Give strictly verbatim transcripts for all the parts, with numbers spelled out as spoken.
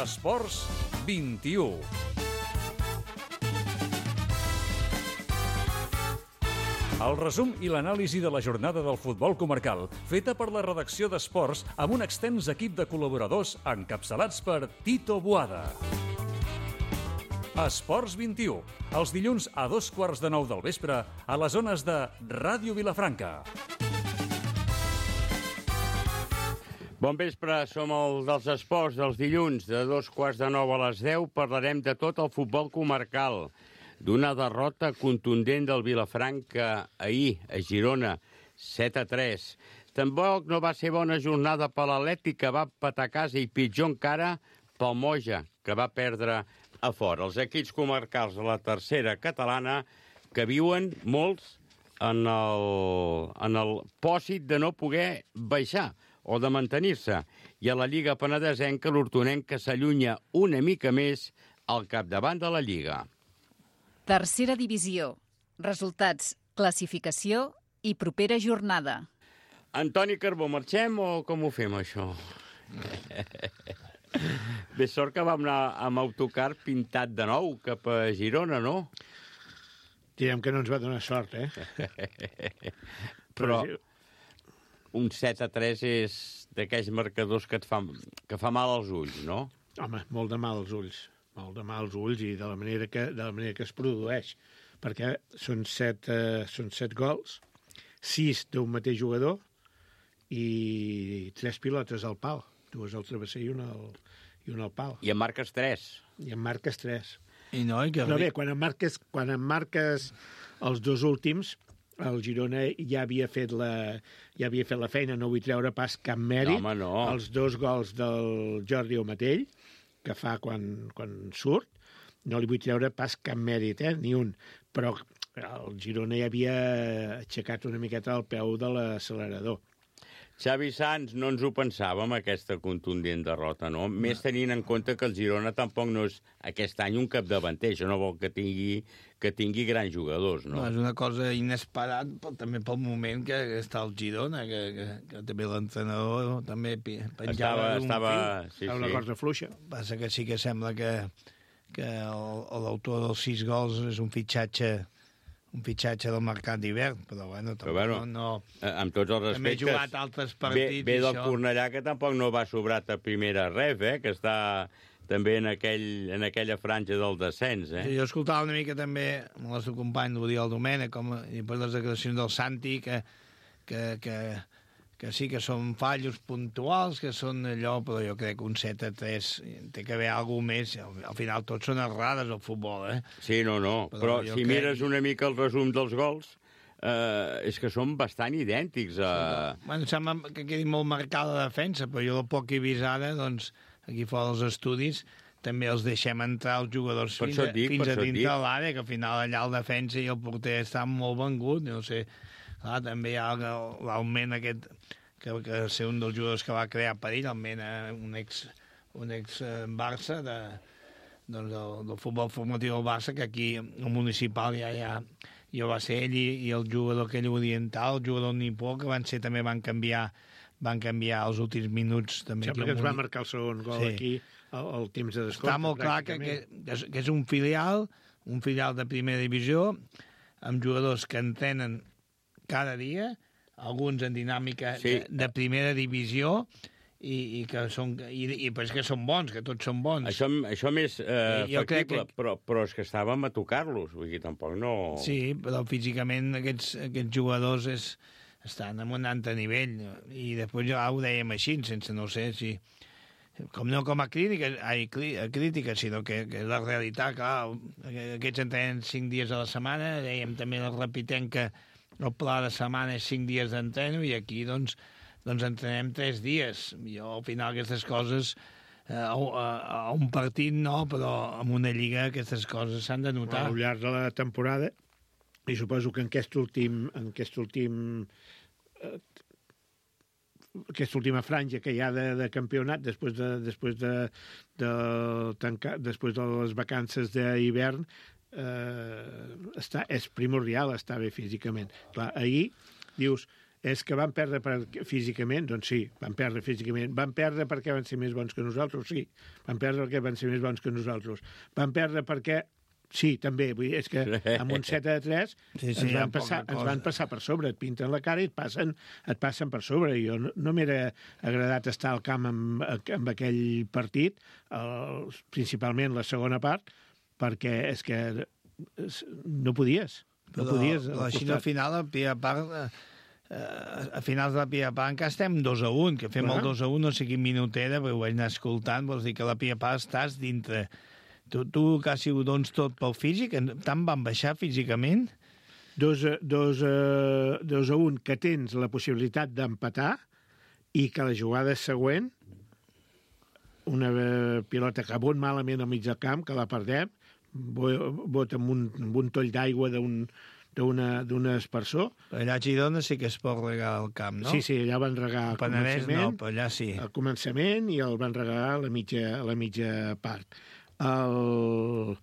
Esports vint-i-u. El resum i l'anàlisi de la jornada del futbol comarcal, feta per la redacció d'Esports amb un extens equip de col·laboradors encapçalats per Tito Boada. Esports vint-i-u, els dilluns a dos quarts de nou del vespre a les zones de Ràdio Vilafranca. Bon vespre, som el dels esports dels dilluns de dos quarts de nou a les deu. Parlarem de tot el futbol comarcal, d'una derrota contundent del Vilafranca ahir a Girona, set a tres. Tampoc no va ser bona jornada per l'Atlètic, que va empatar a casa, i pitjor encara pel Moja, que va perdre a fora. Els equips comarcals de la tercera catalana que viuen molts en el, en el pòsit de no poder baixar o de mantenir-se. I a la Lliga Penedesenca, l'hortonenca s'allunya una mica més al capdavant de la Lliga. Tercera divisió. Resultats, classificació i propera jornada. Antoni Carbó, marxem o com ho fem, això? Bé, sort que vam anar amb autocar pintat de nou cap a Girona, no? Direm que no ens va donar sort, eh? Però un set a tres és d'aquells marcadors que et fa, que fa mal als ulls, no? Home, molt de mal als ulls. Molt de mal als ulls i de la manera que, de la manera que es produeix. Perquè són set, eh, són set gols, sis d'un mateix jugador i tres pilotes al pal. Dues al travesser i una al, i una al pal. I en marques tres. I en marques tres. I no, i que... Però bé, quan en marques, quan en marques els dos últims, el Girona ja havia fet la, ja havia fet la feina, no vull treure pas cap mèrit. No, home, no. Els dos gols del Jordi Omatell, que fa quan, quan surt, no li vull treure pas cap mèrit, eh? Ni un. Però el Girona ja havia aixecat una miqueta el peu de l'accelerador. Xavi Sanz, no ens ho pensàvem, aquesta contundent derrota, no? no? Més tenint en compte que el Girona tampoc no és aquest any un capdavanter. Això no vol que tingui, que tingui grans jugadors, no? No, és una cosa inesperat, però també pel moment que està el Girona, que, que, que també l'entrenador també penjava estava, d'un estava, fil. sí, Estava sí. una cosa fluixa. Passa que sí que sembla que, que l'autor dels sis gols és un fitxatge un fitxatge del mercat d'hivern, però bueno, però, bueno no, no... amb tots els també he respectes, jugat altres partits, ve, ve del això. Cornellà, que tampoc no va sobrat a primera ref, eh? Que està també en, aquell, en aquella franja del descens. Eh? Jo escoltava una mica també amb el nostre company l'Oriol Domènech, com, i després les declaracions del Santi, que, que, que, que sí que són fallos puntuals, que són allò, però jo crec que un set a tres té que haver alguna més. Al final tots són errades al futbol, eh? Sí, no, no, però, però si crec... mires una mica el resum dels gols, eh, és que són bastant idèntics. A... Sí, bueno, sembla que quedi molt marcada la defensa, però jo el poc que he vist ara, doncs, aquí fora dels estudis, també els deixem entrar els jugadors per fins, a, dic, fins a dintre dic. de l'àrea, que al final allà el defensa i el porter estan molt vengut, no sé. Clar, també hi ha l'augment aquest, que, que ser un dels jugadors que va crear perill, almenys un ex, un ex Barça de, doncs del, del futbol formatiu del Barça, que aquí el municipal ja, ja, ja va ser ell i, i el jugador aquell oriental, el jugador nipó, que van ser també van canviar van canviar els últims minuts. També sembla que ens va marcar el segon gol, sí, aquí al, al temps de descompte. Està molt clar que, que, que és un filial, un filial de primera divisió, amb jugadors que entrenen cada dia, alguns en dinàmica sí. de, de primera divisió, i, i que són i, i pues que són bons, que tots són bons. Això, això més eh, I, factible, que... però, però és que estàvem a tocar-los, vull dir, tampoc no... Sí, però físicament aquests, aquests jugadors és, estan en un altre nivell, i després ja ho dèiem així, sense no sé si... Com no com a crítica, ai, a crítica, sinó que, que és la realitat, clar, aquests entrenen cinc dies a la setmana, dèiem també el repitem que el pla de setmana és cinc dies d'entreno i aquí, doncs, doncs entrenem tres dies. Jo, al final, aquestes coses, eh, a, a, a un partit no, però en una lliga aquestes coses s'han de notar. Al llarg de la temporada, i suposo que en aquest últim, en aquest últim eh, aquesta última franja que hi ha de, de campionat, després de, després de, de tancar, després de les vacances d'hivern, eh, està, és primordial estar bé físicament. Clar, ahir dius, és que van perdre per, físicament, doncs sí, van perdre físicament. Van perdre perquè van ser més bons que nosaltres, sí. Van perdre perquè van ser més bons que nosaltres. Van perdre perquè... Sí, també, vull dir, és que amb un set a tres sí, sí, ens, van passar, ens van passar per sobre, et pinten la cara i et passen, et passen per sobre. Jo no, no m'era agradat estar al camp amb, amb aquell partit, el, principalment la segona part, perquè és que no podies. No Però podies la Xina al final, a primera part, eh, a finals de la primera part encara estem dos a un, que fem Clar. el dos a un, no sé quin minut era, però ho vaig anar escoltant, vols dir que a la primera part estàs dintre. Tu, tu quasi ho dones tot pel físic? Tant van baixar físicament? Dos, a- dos, a- dos a un, que tens la possibilitat d'empatar i que la jugada següent, una eh, pilota que bot malament al mig del camp, que la perdem, bo- bota amb un, amb un toll d'aigua d'un d'un espersor. Allà a Girona sí que es pot regar al camp, no? Sí, sí, allà van regar Al al Penedès no, començament, però allà sí. al començament i el van regar a la mitja, a la mitja part. El...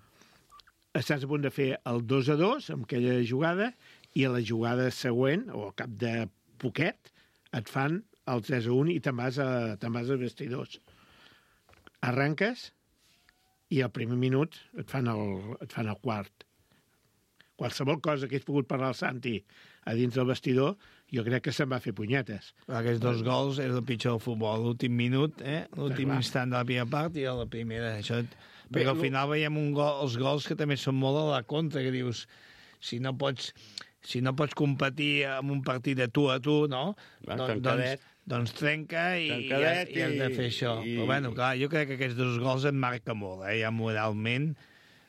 Estàs a punt de fer el dos a dos amb aquella jugada i a la jugada següent, o al cap de poquet, et fan el tres a un i te'n vas, a, te'n vas als vestidors. Arranques i al primer minut et fan el, et fan el quart. Qualsevol cosa que hagués pogut parlar el Santi a dins del vestidor, jo crec que se'n va fer punyetes. Aquests dos gols és el pitjor del futbol. L'últim minut, eh? l'últim clar. instant de la primera part i a la primera. Això... Bé, Perquè al lo- final veiem un gol, els gols que també són molt a la contra, que dius, si no pots, si no pots competir en un partit de tu a tu, no? Va, Don- tancadet. doncs, doncs trenca i, i, has, Tancadet i has de i- fer això. i- Però bueno, clar, jo crec que aquests dos gols et marca molt, eh? Ja moralment.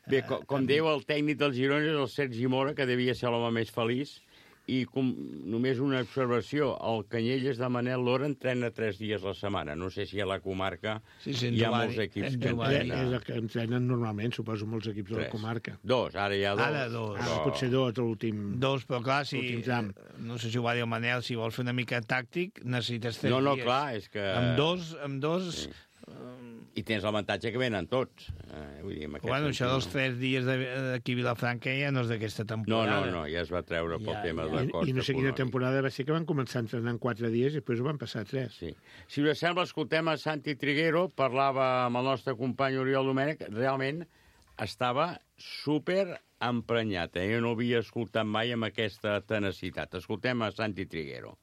Bé, com, com diu el tècnic del Girona, és el Sergi Mora, que devia ser l'home més feliç, i com, només una observació, el Canyelles de Manel Lora entrena tres dies la setmana. No sé si a la comarca Sí, sí, en hi ha Giovanni- molts equips en que Giovanni. És entrenen. el que entrenen normalment, suposo, molts equips de la Tres. comarca. Dos, ara hi ha dos. Ara dos. Ara Però- potser dos a l'últim... Dos, però clar, si... Últim tram. No sé si ho va dir el Manel, si vols fer una mica tàctic, necessites tres No, no, dies. clar, és que... Amb dos, amb dos... Sí. I tens l'avantatge que venen tots. Eh, vull dir, en aquest Bueno, això dels sentit, tres dies de- d'aquí a Vilafranca ja no és d'aquesta no. No, temporada. no, no, ja es va treure pel Ja, tema ja. de I, cost I no sé quina econòmic. temporada va ser que van començar a entrenar en quatre dies i després ho van passar a tres. Sí. Si us sembla, escoltem a Santi Triguero, parlava amb el nostre company Oriol Domènech, realment estava super emprenyat, eh? Jo no havia escoltat mai amb aquesta tenacitat. Escoltem a Santi Triguero.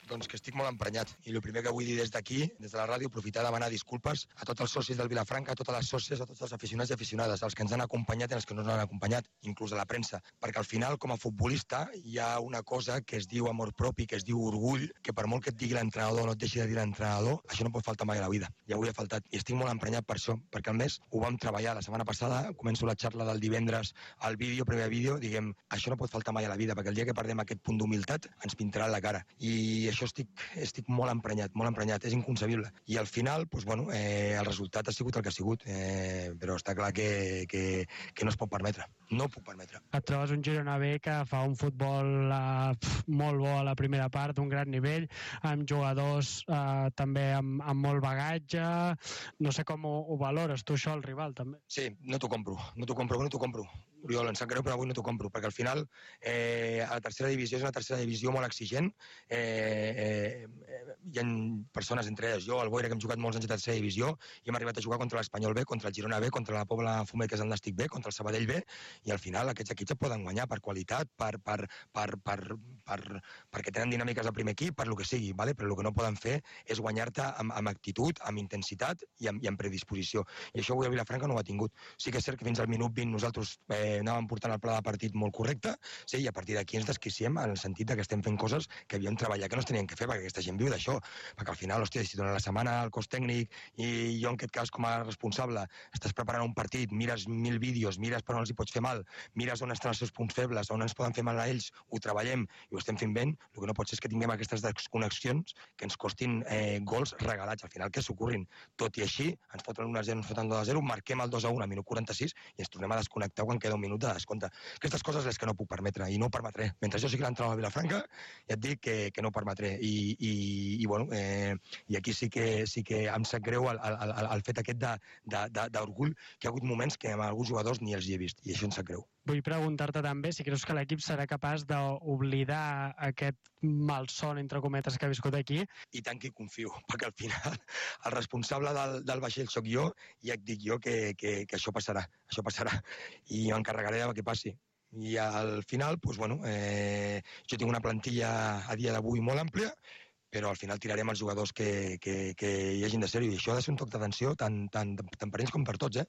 Doncs que estic molt emprenyat. I el primer que vull dir des d'aquí, des de la ràdio, aprofitar a demanar disculpes a tots els socis del Vilafranca, a totes les sòcies, a tots els aficionats i aficionades, als que ens han acompanyat i als que no ens han acompanyat, inclús a la premsa. Perquè al final, com a futbolista, hi ha una cosa que es diu amor propi, que es diu orgull, que per molt que et digui l'entrenador o no et deixi de dir l'entrenador, això no pot faltar mai a la vida. I avui ha faltat. I estic molt emprenyat per això, perquè al mes ho vam treballar. La setmana passada, començo la xarra del divendres al vídeo, primer vídeo, diguem, això no pot faltar mai a la vida, perquè el dia que perdem aquest punt d'humilitat ens pintarà la cara. I això estic, estic molt emprenyat, molt emprenyat, és inconcebible. I al final, doncs, bueno, eh, el resultat ha sigut el que ha sigut, eh, però està clar que, que, que no es pot permetre. No ho puc permetre. Et trobes un Girona B que fa un futbol eh, pf, molt bo a la primera part, d'un gran nivell, amb jugadors eh, també amb, amb molt bagatge. No sé com ho, ho valores tu, això, el rival, també. Sí, no t'ho compro, no t'ho compro, no t'ho compro. Oriol, em sap greu, però avui no t'ho compro, perquè al final eh, a la tercera divisió és una tercera divisió molt exigent. Eh, eh, hi ha persones, entre elles jo, el Boira, que hem jugat molts anys a tercera divisió, i hem arribat a jugar contra l'Espanyol B, contra el Girona B, contra la Pobla Fumet, que és el Nàstic B, contra el Sabadell B, i al final aquests equips et poden guanyar per qualitat, per, per, per, per, per, perquè tenen dinàmiques al primer equip, per lo que sigui, vale? Però el que no poden fer és guanyar-te amb, amb actitud, amb intensitat i amb, i amb predisposició. I això avui a Vilafranca no ho ha tingut. Sí que és cert que fins al minut vint nosaltres eh, anàvem portant el pla de partit molt correcte, sí, i a partir d'aquí ens desquiciem en el sentit que estem fent coses que havíem treballat que no es tenien que fer, perquè aquesta gent viu d'això. Perquè al final, hòstia, si durant la setmana el cos tècnic i jo en aquest cas com a responsable estàs preparant un partit, mires mil vídeos, mires per on els hi pots fer mal, mires on estan els seus punts febles, on ens poden fer mal a ells, ho treballem i ho estem fent ben, el que no pot ser és que tinguem aquestes desconnexions que ens costin eh, gols regalats, al final que s'ocorrin. Tot i així, ens foten un a zero, ens foten dos a zero, marquem el dos a un a minut quaranta-sis i ens tornem a desconnectar quan queda un minut de descompte. Aquestes coses les que no puc permetre i no ho permetré. Mentre jo sigui l'entrenador a Vilafranca, ja et dic que, que no ho permetré. I, i, i bueno, eh, i aquí sí que, sí que em sap greu el, el, el, el fet aquest d'orgull, que hi ha hagut moments que amb alguns jugadors ni els hi he vist, i això em sap greu. vull preguntar-te també si creus que l'equip serà capaç d'oblidar aquest malson, entre cometes, que ha viscut aquí. I tant que hi confio, perquè al final el responsable del, del vaixell sóc jo i ja et dic jo que, que, que això passarà, això passarà, i m'encarregaré de que passi. I al final, doncs, bueno, eh, jo tinc una plantilla a dia d'avui molt àmplia, però al final tirarem els jugadors que, que, que hi hagin de ser-hi. I això ha de ser un toc d'atenció tant, tant, tant per ells com per tots. Eh?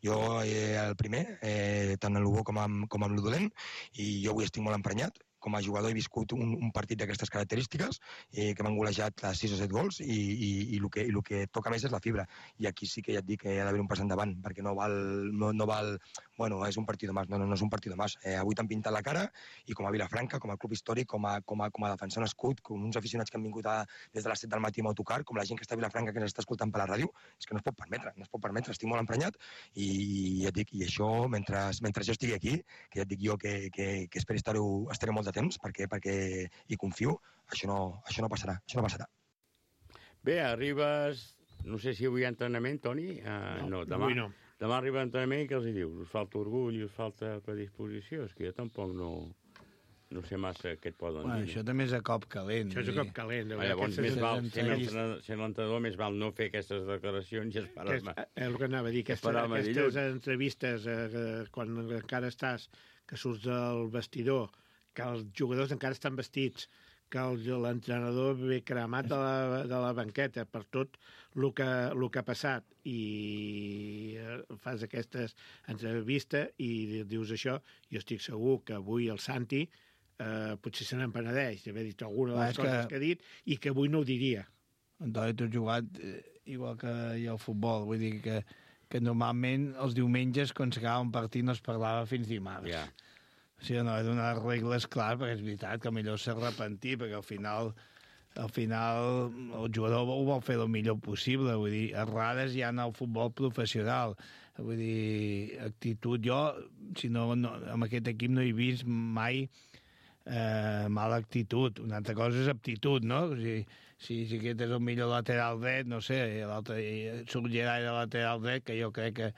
Jo, eh, el primer, eh, tant en el bo com amb, com amb el dolent, i jo avui estic molt emprenyat. Com a jugador he viscut un, un partit d'aquestes característiques, eh, que m'han golejat a sis o set gols, i, i, i, el que, i el que toca més és la fibra. I aquí sí que ja et dic que hi ha d'haver un pas endavant, perquè no val, no, no val, bueno, és un partit més, no, no, no és un partit més. Eh, avui t'han pintat la cara, i com a Vilafranca, com a club històric, com a, com a, com a defensar un escut, com uns aficionats que han vingut a, des de les set del matí amb autocar, com la gent que està a Vilafranca, que ens està escoltant per la ràdio, és que no es pot permetre, no es pot permetre, estic molt emprenyat, i ja et dic, i això, mentre, mentre jo estigui aquí, que ja et dic jo que, que, que espero estar-ho estaré molt de temps, perquè, perquè hi confio, això no, això no passarà, això no passarà. Bé, arribes, no sé si avui hi ha entrenament, Toni? Uh, no, no, demà, avui no. Demà arriba l'entrenament i què els hi dius? Us falta orgull, us falta predisposició? És que jo tampoc no, no sé massa què et poden bueno, dir. Això també és a cop calent. Això és a cop calent. Ah, llavors, més val, sent l'entrenador, més val no fer aquestes declaracions i esperar-me. És el que anava a dir, aquestes, aquestes entrevistes, eh, quan encara estàs, que surts del vestidor, que els jugadors encara estan vestits, que l'entrenador ve cremat de la, de la banqueta per tot el que, el que ha passat, i fas aquestes entrevistes i dius això. Jo estic segur que avui el Santi eh, potser se n'empenedeix d'haver dit alguna de les coses que... que ha dit, i que avui no ho diria. Antoni, tu has jugat eh, igual que jo al futbol, vull dir que, que normalment els diumenges, quan s'acaba un partit, no es parlava fins dimarts. Ja. Sí, no, he donat regles, clar, perquè és veritat que millor s'arrepentir, perquè al final, al final el jugador ho vol fer el millor possible, vull dir, errades hi ha en el futbol professional, vull dir, actitud, jo, si no, no amb aquest equip no he vist mai eh, mala actitud, una altra cosa és aptitud, no? O sigui, si, si aquest és el millor lateral dret, no sé, l'altre surt Gerai de lateral dret, que jo crec que,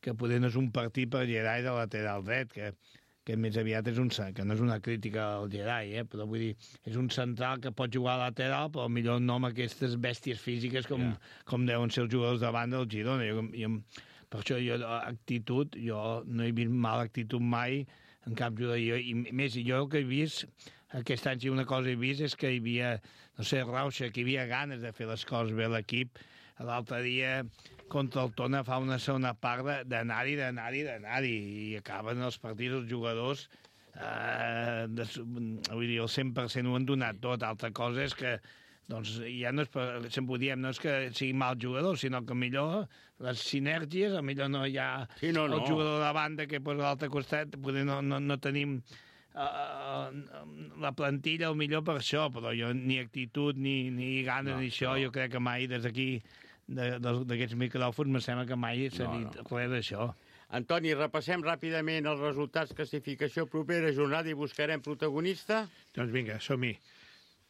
que poder no és un partit per Gerai de lateral dret, que que més aviat és un, que no és una crítica al Gerai, eh? Però vull dir, és un central que pot jugar a lateral, però millor no amb aquestes bèsties físiques com, yeah. com deuen ser els jugadors davant del Girona. Jo, jo, per això jo, actitud, jo no he vist mala actitud mai en cap jugador. Jo, i més, jo el que he vist, aquest any si una cosa he vist és que hi havia, no sé, rauxa, que hi havia ganes de fer les coses bé a l'equip. L'altre dia contra el Tona fa una segona part d'anar-hi, d'anar-hi, d'anar-hi, i acaben els partits els jugadors, eh, de, vull dir, el cent per cent ho han donat tot. Altra cosa és que, doncs, ja no és per, sempre ho diem, no és que sigui mal jugador, sinó que millor les sinergies, millor no hi ha sí, no, no. Oh. el jugador de banda que posa a l'altre costat, poder no, no, no tenim Uh, la plantilla el millor per això, però jo ni actitud ni, ni ganes no, ni això, no. Jo crec que mai des d'aquí d'aquests micròfons me sembla que mai s'ha no, dit no. res d'això. Antoni, repassem ràpidament els resultats, classificació propera jornada i buscarem protagonista. Doncs vinga, som-hi.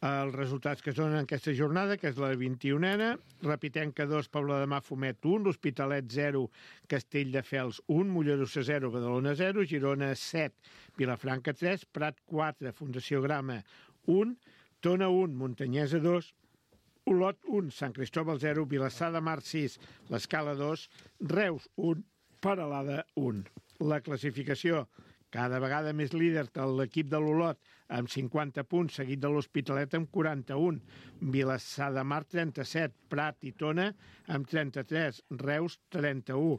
Els resultats que es donen en aquesta jornada, que és la vint-i-unena, Repitenca dos, Pobla de Mafumet un, l'Hospitalet zero, Castelldefels un, Mollerussa zero, Badalona zero, Girona set, Vilafranca tres, Prat quatre, Fundació Grama un, Tona un, Muntanyesa dos, Olot un, Sant Cristòbal zero, Vilassar de Mar sis, l'Escala dos, Reus un, Peralada un. La classificació: cada vegada més líder l'equip de l'Olot amb cinquanta punts, seguit de l'Hospitalet amb quaranta-un, Vilassar de Mar trenta-set, Prat i Tona amb trenta-tres, Reus trenta-u,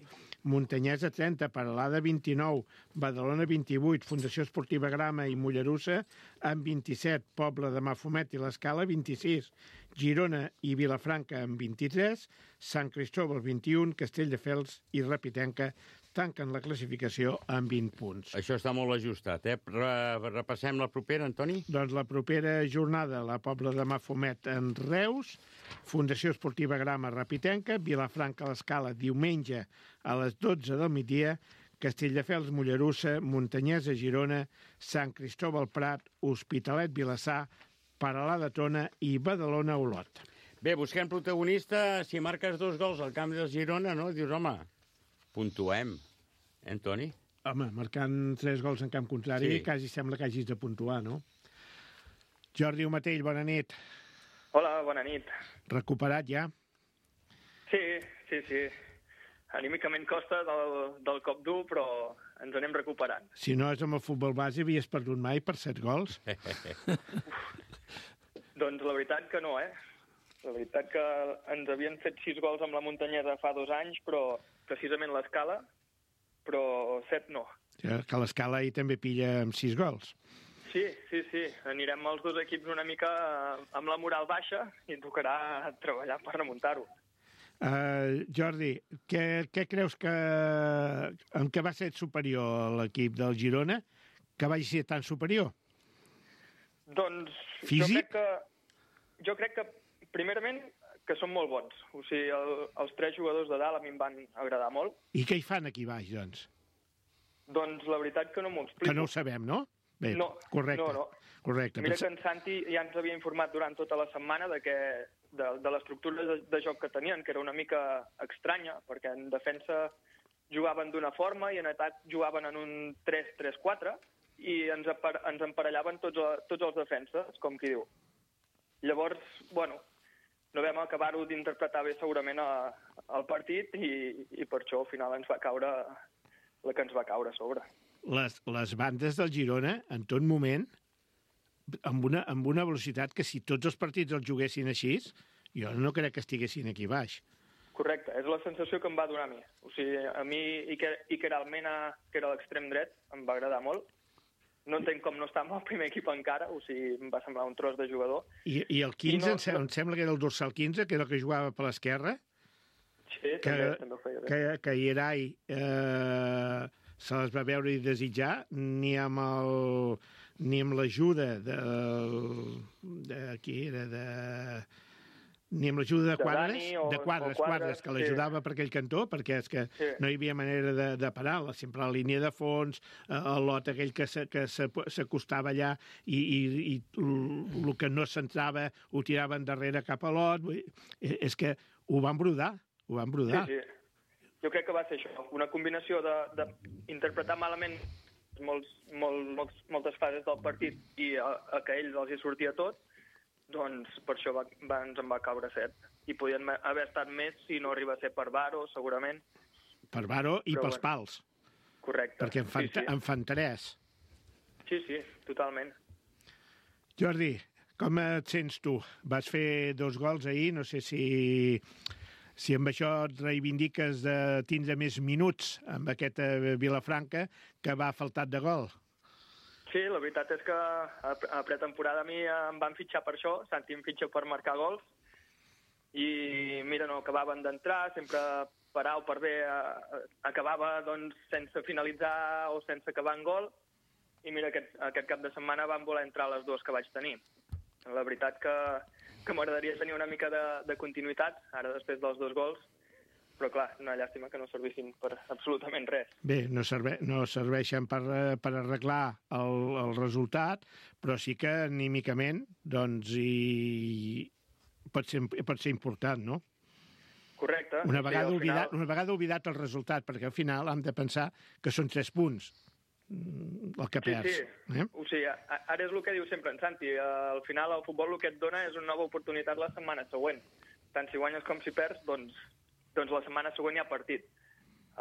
Muntanyesa trenta, Peralada vint-i-nou, Badalona vint-i-vuit, Fundació Esportiva Grama i Mollerussa amb vint-i-set, Pobla de Mafumet i l'Escala vint-i-sis, Girona i Vilafranca amb vint-i-tres, Sant Cristòbal vint-i-un, Castelldefels i Repitenca tanquen la classificació amb vint punts. Això està molt ajustat, eh? Repassem la propera, Antoni? Doncs la propera jornada, la Pobla de Mafumet en Reus, Fundació Esportiva Grama Repitenca, Vilafranca a l'Escala diumenge a les dotze del migdia, Castelldefels, Mollerussa, Muntanyesa, Girona, Sant Cristòbal Prat, Hospitalet, Vilassar, Peralada, Tona i Badalona, Olot. Bé, busquem protagonista. Si marques dos gols al camp del Girona, no? Dius, home, puntuem. Eh, Antoni? Home, marcant tres gols en camp contrari, sí. Quasi sembla que hagis de puntuar, no? Jordi Omatell, bona nit. Hola, bona nit. Recuperat ja? Sí, sí, sí. Anímicament costa del, del cop dur, però ens anem recuperant. Si no és amb el futbol base, havies perdut mai per set gols? Doncs la veritat que no, eh? La veritat que ens havien fet sis gols amb la Muntanyesa fa dos anys, però precisament l'escala, però set no. Ja, que l'escala ahir també pilla amb sis gols. Sí, sí, sí. Anirem els dos equips una mica amb la moral baixa i tocarà treballar per remuntar-ho. Uh, Jordi, què, què creus que... en què va ser superior l'equip del Girona que vagi ser tan superior? Doncs Físic? jo crec que, jo crec que primerament que són molt bons. O sigui, el, els tres jugadors de dalt a mi em van agradar molt. I què hi fan aquí baix, doncs? Doncs la veritat que no m'ho explico. Que no ho sabem, no? Bé, no, correcte. no, no. Correcte. Mira que en Santi ja ens havia informat durant tota la setmana de, que, de, de l'estructura de, de joc que tenien, que era una mica estranya, perquè en defensa jugaven d'una forma i en atac jugaven en un tres tres quatre i ens, apar ens emparellaven tots, tots els defenses, com qui diu. Llavors, bueno, no vam acabar-ho d'interpretar bé segurament a, al partit i, i per això al final ens va caure la que ens va caure a sobre. Les, les bandes del Girona, en tot moment, amb una, amb una velocitat que si tots els partits els juguessin així, jo no crec que estiguessin aquí baix. Correcte, és la sensació que em va donar a mi. O sigui, a mi Iker Almena, que era l'extrem dret, em va agradar molt. No entenc com no està amb el primer equip encara, o sigui, em va semblar un tros de jugador. I, i el quinze, I no, em, sembla, em sembla que era el dorsal quinze, que era el que jugava per l'esquerra. Sí, que, també, també ho feia bé. Que, que Ierai eh, se les va veure i desitjar, ni amb el ni amb l'ajuda de, de... qui era? De... ni amb l'ajuda de, de Quadres, o, de Quadres, Quadres, Quadres, que l'ajudava sí. per aquell cantó, perquè és que sí. no hi havia manera de, de parar, sempre a la línia de fons, el lot aquell que s'acostava allà i, i, i el que no s'entrava ho tiraven darrere cap a lot. És que ho van brodar, ho van brodar. Sí, sí. Jo crec que va ser això, una combinació d'interpretar malament molts, molt, molts, moltes fases del partit i a, a que ells els hi sortia tot, doncs per això va, va, ens en va caure set. I podien haver estat més si no arriba a ser per Varo, segurament. Per Varo i Però, pels bueno, pals. Correcte. Perquè en fan, sí, sí. en fan tres. Sí, sí, totalment. Jordi, com et sents tu? Vas fer dos gols ahir, no sé si, si amb això et reivindiques de tindre més minuts amb aquesta Vilafranca que va faltat de gol. Sí, la veritat és que a pretemporada a mi em van fitxar per això, Santi em fitxa per marcar gols, i mira, no acabaven d'entrar, sempre per A o per B acabava doncs, sense finalitzar o sense acabar en gol, i mira, aquest, aquest cap de setmana van voler entrar les dues que vaig tenir. La veritat que, que m'agradaria tenir una mica de, de continuïtat, ara després dels dos gols, però clar, una llàstima que no servissin per absolutament res. Bé, no, serve, no serveixen per, per arreglar el, el resultat, però sí que anímicament doncs, i pot, ser, pot ser important, no? Correcte. Una vegada, sí, oblidat, final... una vegada oblidat el resultat, perquè al final hem de pensar que són tres punts el que perds. Sí, sí. Eh? O sigui, ara és el que diu sempre en Santi. Al final el futbol el que et dona és una nova oportunitat la setmana següent. Tant si guanyes com si perds, doncs doncs la setmana següent hi ha partit.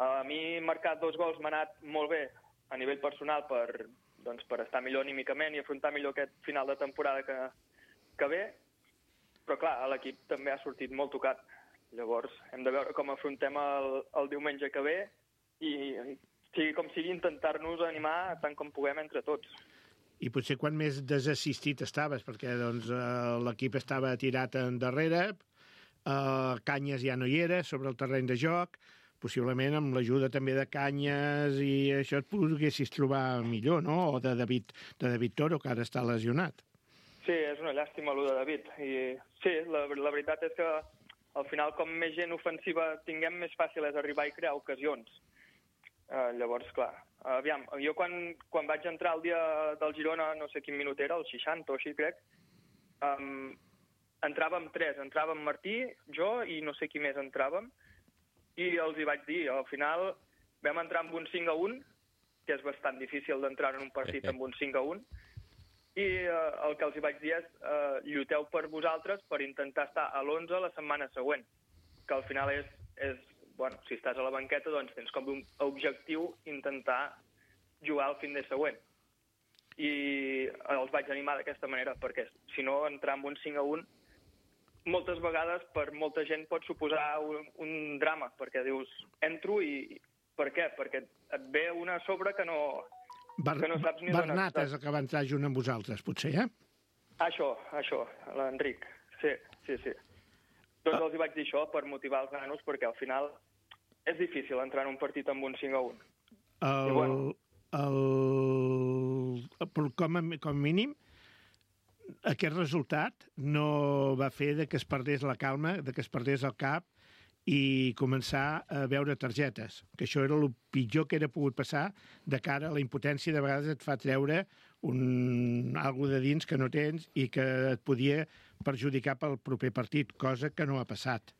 A mi marcar dos gols m'ha anat molt bé a nivell personal per, doncs, per estar millor anímicament i afrontar millor aquest final de temporada que, que ve, però clar, l'equip també ha sortit molt tocat. Llavors hem de veure com afrontem el, el diumenge que ve i, i sigui com sigui intentar-nos animar tant com puguem entre tots. I potser quan més desassistit estaves, perquè doncs, l'equip estava tirat endarrere, Uh, Canyes ja no hi era sobre el terreny de joc, possiblement amb l'ajuda també de Canyes i això et poguessis trobar millor, no? O de David, de David Toro, que ara està lesionat. Sí, és una llàstima allò de David. I sí, la, la veritat és que al final com més gent ofensiva tinguem, més fàcil és arribar i crear ocasions. Uh, llavors, clar, aviam, jo quan, quan vaig entrar el dia del Girona, no sé quin minut era, el seixanta o així crec, um, entràvem tres, entràvem Martí, jo i no sé qui més entràvem, i els hi vaig dir, al final vam entrar amb un cinc a un que és bastant difícil d'entrar en un partit amb un cinc a un, i eh, el que els hi vaig dir és eh, lluiteu per vosaltres per intentar estar a l'onze la setmana següent, que al final és, és, bueno, si estàs a la banqueta, doncs tens com un objectiu intentar jugar el fin de següent. I els vaig animar d'aquesta manera, perquè si no, entrar amb un cinc a un moltes vegades per molta gent pot suposar un, un drama, perquè dius, entro i... Per què? Perquè et ve una a sobre que no, Bar que no saps ni Bernat és el que va entrar junt amb vosaltres, potser, eh? Això, això, l'Enric, sí, sí, sí. Doncs els hi vaig dir això per motivar els nanos, perquè al final és difícil entrar en un partit amb un cinc a un. El... I bueno, El, com, a, com a mínim, aquest resultat no va fer de que es perdés la calma, de que es perdés el cap i començar a veure targetes, que això era el pitjor que era pogut passar de cara a la impotència. De vegades et fa treure un, algo de dins que no tens i que et podia perjudicar pel proper partit, cosa que no ha passat.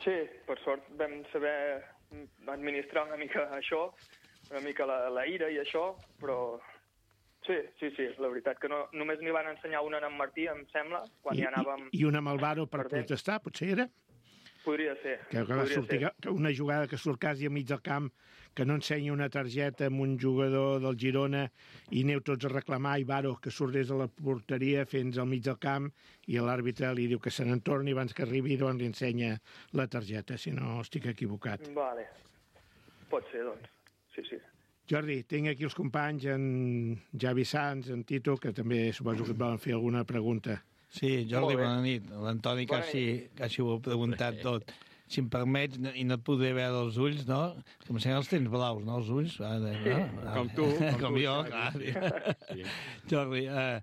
Sí, per sort vam saber administrar una mica això, una mica la, la ira i això, però sí, sí, sí, la veritat que no, només n'hi van ensenyar una en Martí, em sembla, quan I, hi anàvem... I, i una amb el Varo per perdent. protestar, potser era? Podria ser. Que, que va podria sortir, ser. que una jugada que surt quasi al mig del camp, que no ensenya una targeta amb un jugador del Girona i aneu tots a reclamar, i Varo que surt des de la porteria fins al mig del camp i l'àrbitre li diu que se n'entorni abans que arribi, doncs li ensenya la targeta, si no estic equivocat. Vale. Pot ser, doncs. Sí, sí. Jordi, tinc aquí els companys, en Javi Sanz, en Tito, que també suposo que et volen fer alguna pregunta. Sí, Jordi, bona nit. L'Antoni Bona quasi, nit. quasi ho ha preguntat tot. Si em permets, no- i no et podré veure els ulls, no? Que em sembla els tens blaus, no, els ulls? Ah, de, no? Ah, Com tu, com Com tu, jo, Xavi. clar. Sí. Jordi, eh,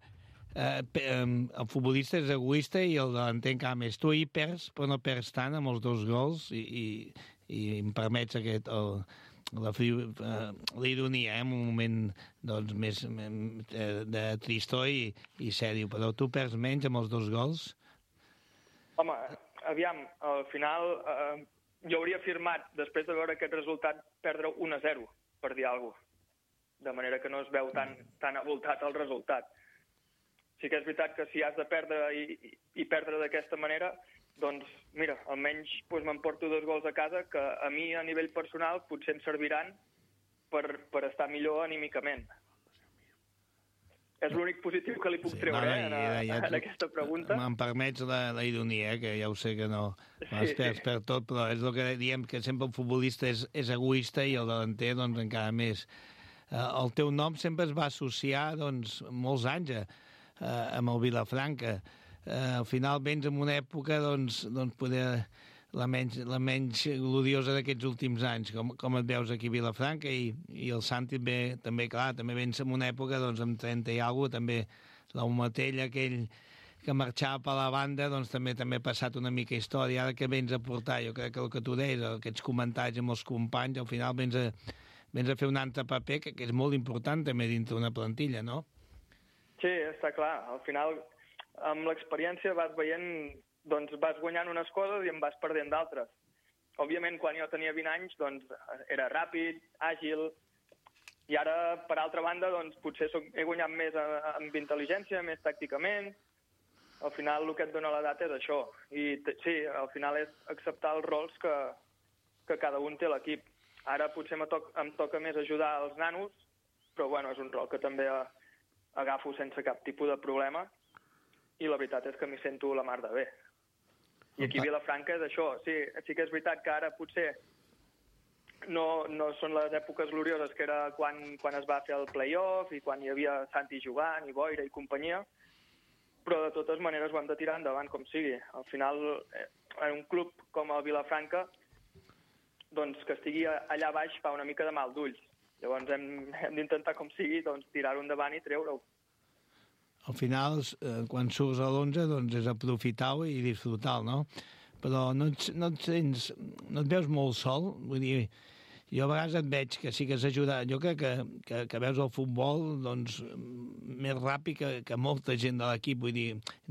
eh, pe- em, el futbolista és egoista i el delanter encara més. Tu ahir perds, però no perds tant amb els dos gols i, i, i em permets aquest... El, la, fri- eh, la ironia, eh, en un moment doncs, més eh, de tristor i, i sèrio, però tu perds menys amb els dos gols? Home, aviam, al final eh, jo hauria firmat, després de veure aquest resultat, perdre un a zero, per dir alguna cosa. De manera que no es veu tan, tan avoltat el resultat. Sí que és veritat que si has de perdre i, i, i perdre d'aquesta manera, doncs, mira, almenys doncs, m'emporto dos gols a casa que a mi, a nivell personal, potser em serviran per, per estar millor anímicament. És l'únic positiu que li puc Sí, treure no, eh, en, ja- ja en tu- aquesta pregunta. Me'n permets la, la ironia, eh, que ja ho sé que no... Sí, Es perd, sí. perd tot, però és el que diem, que sempre el futbolista és, és egoista i el delanter, doncs, encara més. Eh, el teu nom sempre es va associar, doncs, molts anys eh, amb el Vilafranca. Eh, al final vens en una època, doncs, doncs poder la menys, la menys gloriosa d'aquests últims anys, com, com et veus aquí a Vilafranca, i, i el Santi ve, també, clar, també vens en una època, doncs, amb trenta i alguna cosa, també l'Aumatell aquell que marxava per la banda, doncs també també ha passat una mica història. Ara que vens a portar, jo crec que el que tu deies, aquests comentaris amb els companys, al final vens a, vens a fer un altre paper, que, que és molt important també dintre una plantilla, no? Sí, està clar. Al final, amb l'experiència vas veient, doncs vas guanyant unes coses i en vas perdent d'altres. Òbviament, quan jo tenia vint anys, doncs era ràpid, àgil, i ara, per altra banda, doncs potser soc, he guanyat més amb intel·ligència, més tàcticament. Al final, el que et dona l'edat és això. I sí, al final és acceptar els rols que, que cada un té a l'equip. Ara potser em, toc, em toca més ajudar els nanos, però bueno, és un rol que també agafo sense cap tipus de problema, i la veritat és que m'hi sento la mar de bé. I aquí a Vilafranca és això. Sí, sí que és veritat que ara potser no, no són les èpoques glorioses que era quan, quan es va fer el play-off i quan hi havia Santi jugant i Boira i companyia, però de totes maneres ho hem de tirar endavant com sigui. Al final, en un club com el Vilafranca, doncs que estigui allà baix fa una mica de mal d'ulls. Llavors hem, hem d'intentar com sigui doncs, tirar-ho endavant i treure-ho. Al final, eh, quan surts a l'onze, doncs és aprofitar-ho i disfrutar-ho, no? Però no et, no et sents, no et veus molt sol, vull dir, jo a vegades et veig que sí que has ajudat, jo crec que, que, que veus el futbol doncs, més ràpid que, que molta gent de l'equip, vull dir,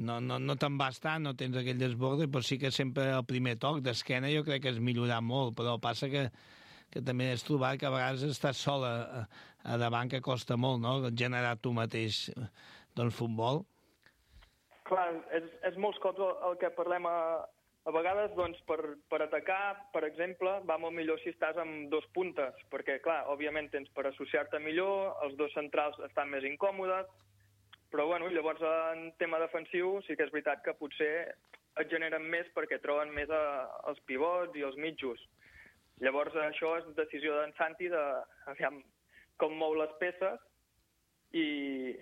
no, no, no te'n vas tant, no tens aquell desborde, però sí que sempre el primer toc d'esquena jo crec que has millorat molt, però passa que que també has trobat que a vegades estàs sol a, a davant, que costa molt, no?, generar tu mateix doncs, futbol. Clar, és, és molts cops el, el que parlem a, a vegades, doncs, per, per atacar, per exemple, va molt millor si estàs amb dos puntes, perquè, clar, òbviament tens per associar-te millor, els dos centrals estan més incòmodes, però, bueno, llavors, en tema defensiu, sí que és veritat que potser et generen més perquè troben més a, els pivots i els mitjos. Llavors, això és decisió d'en Santi de aviam, com mou les peces i,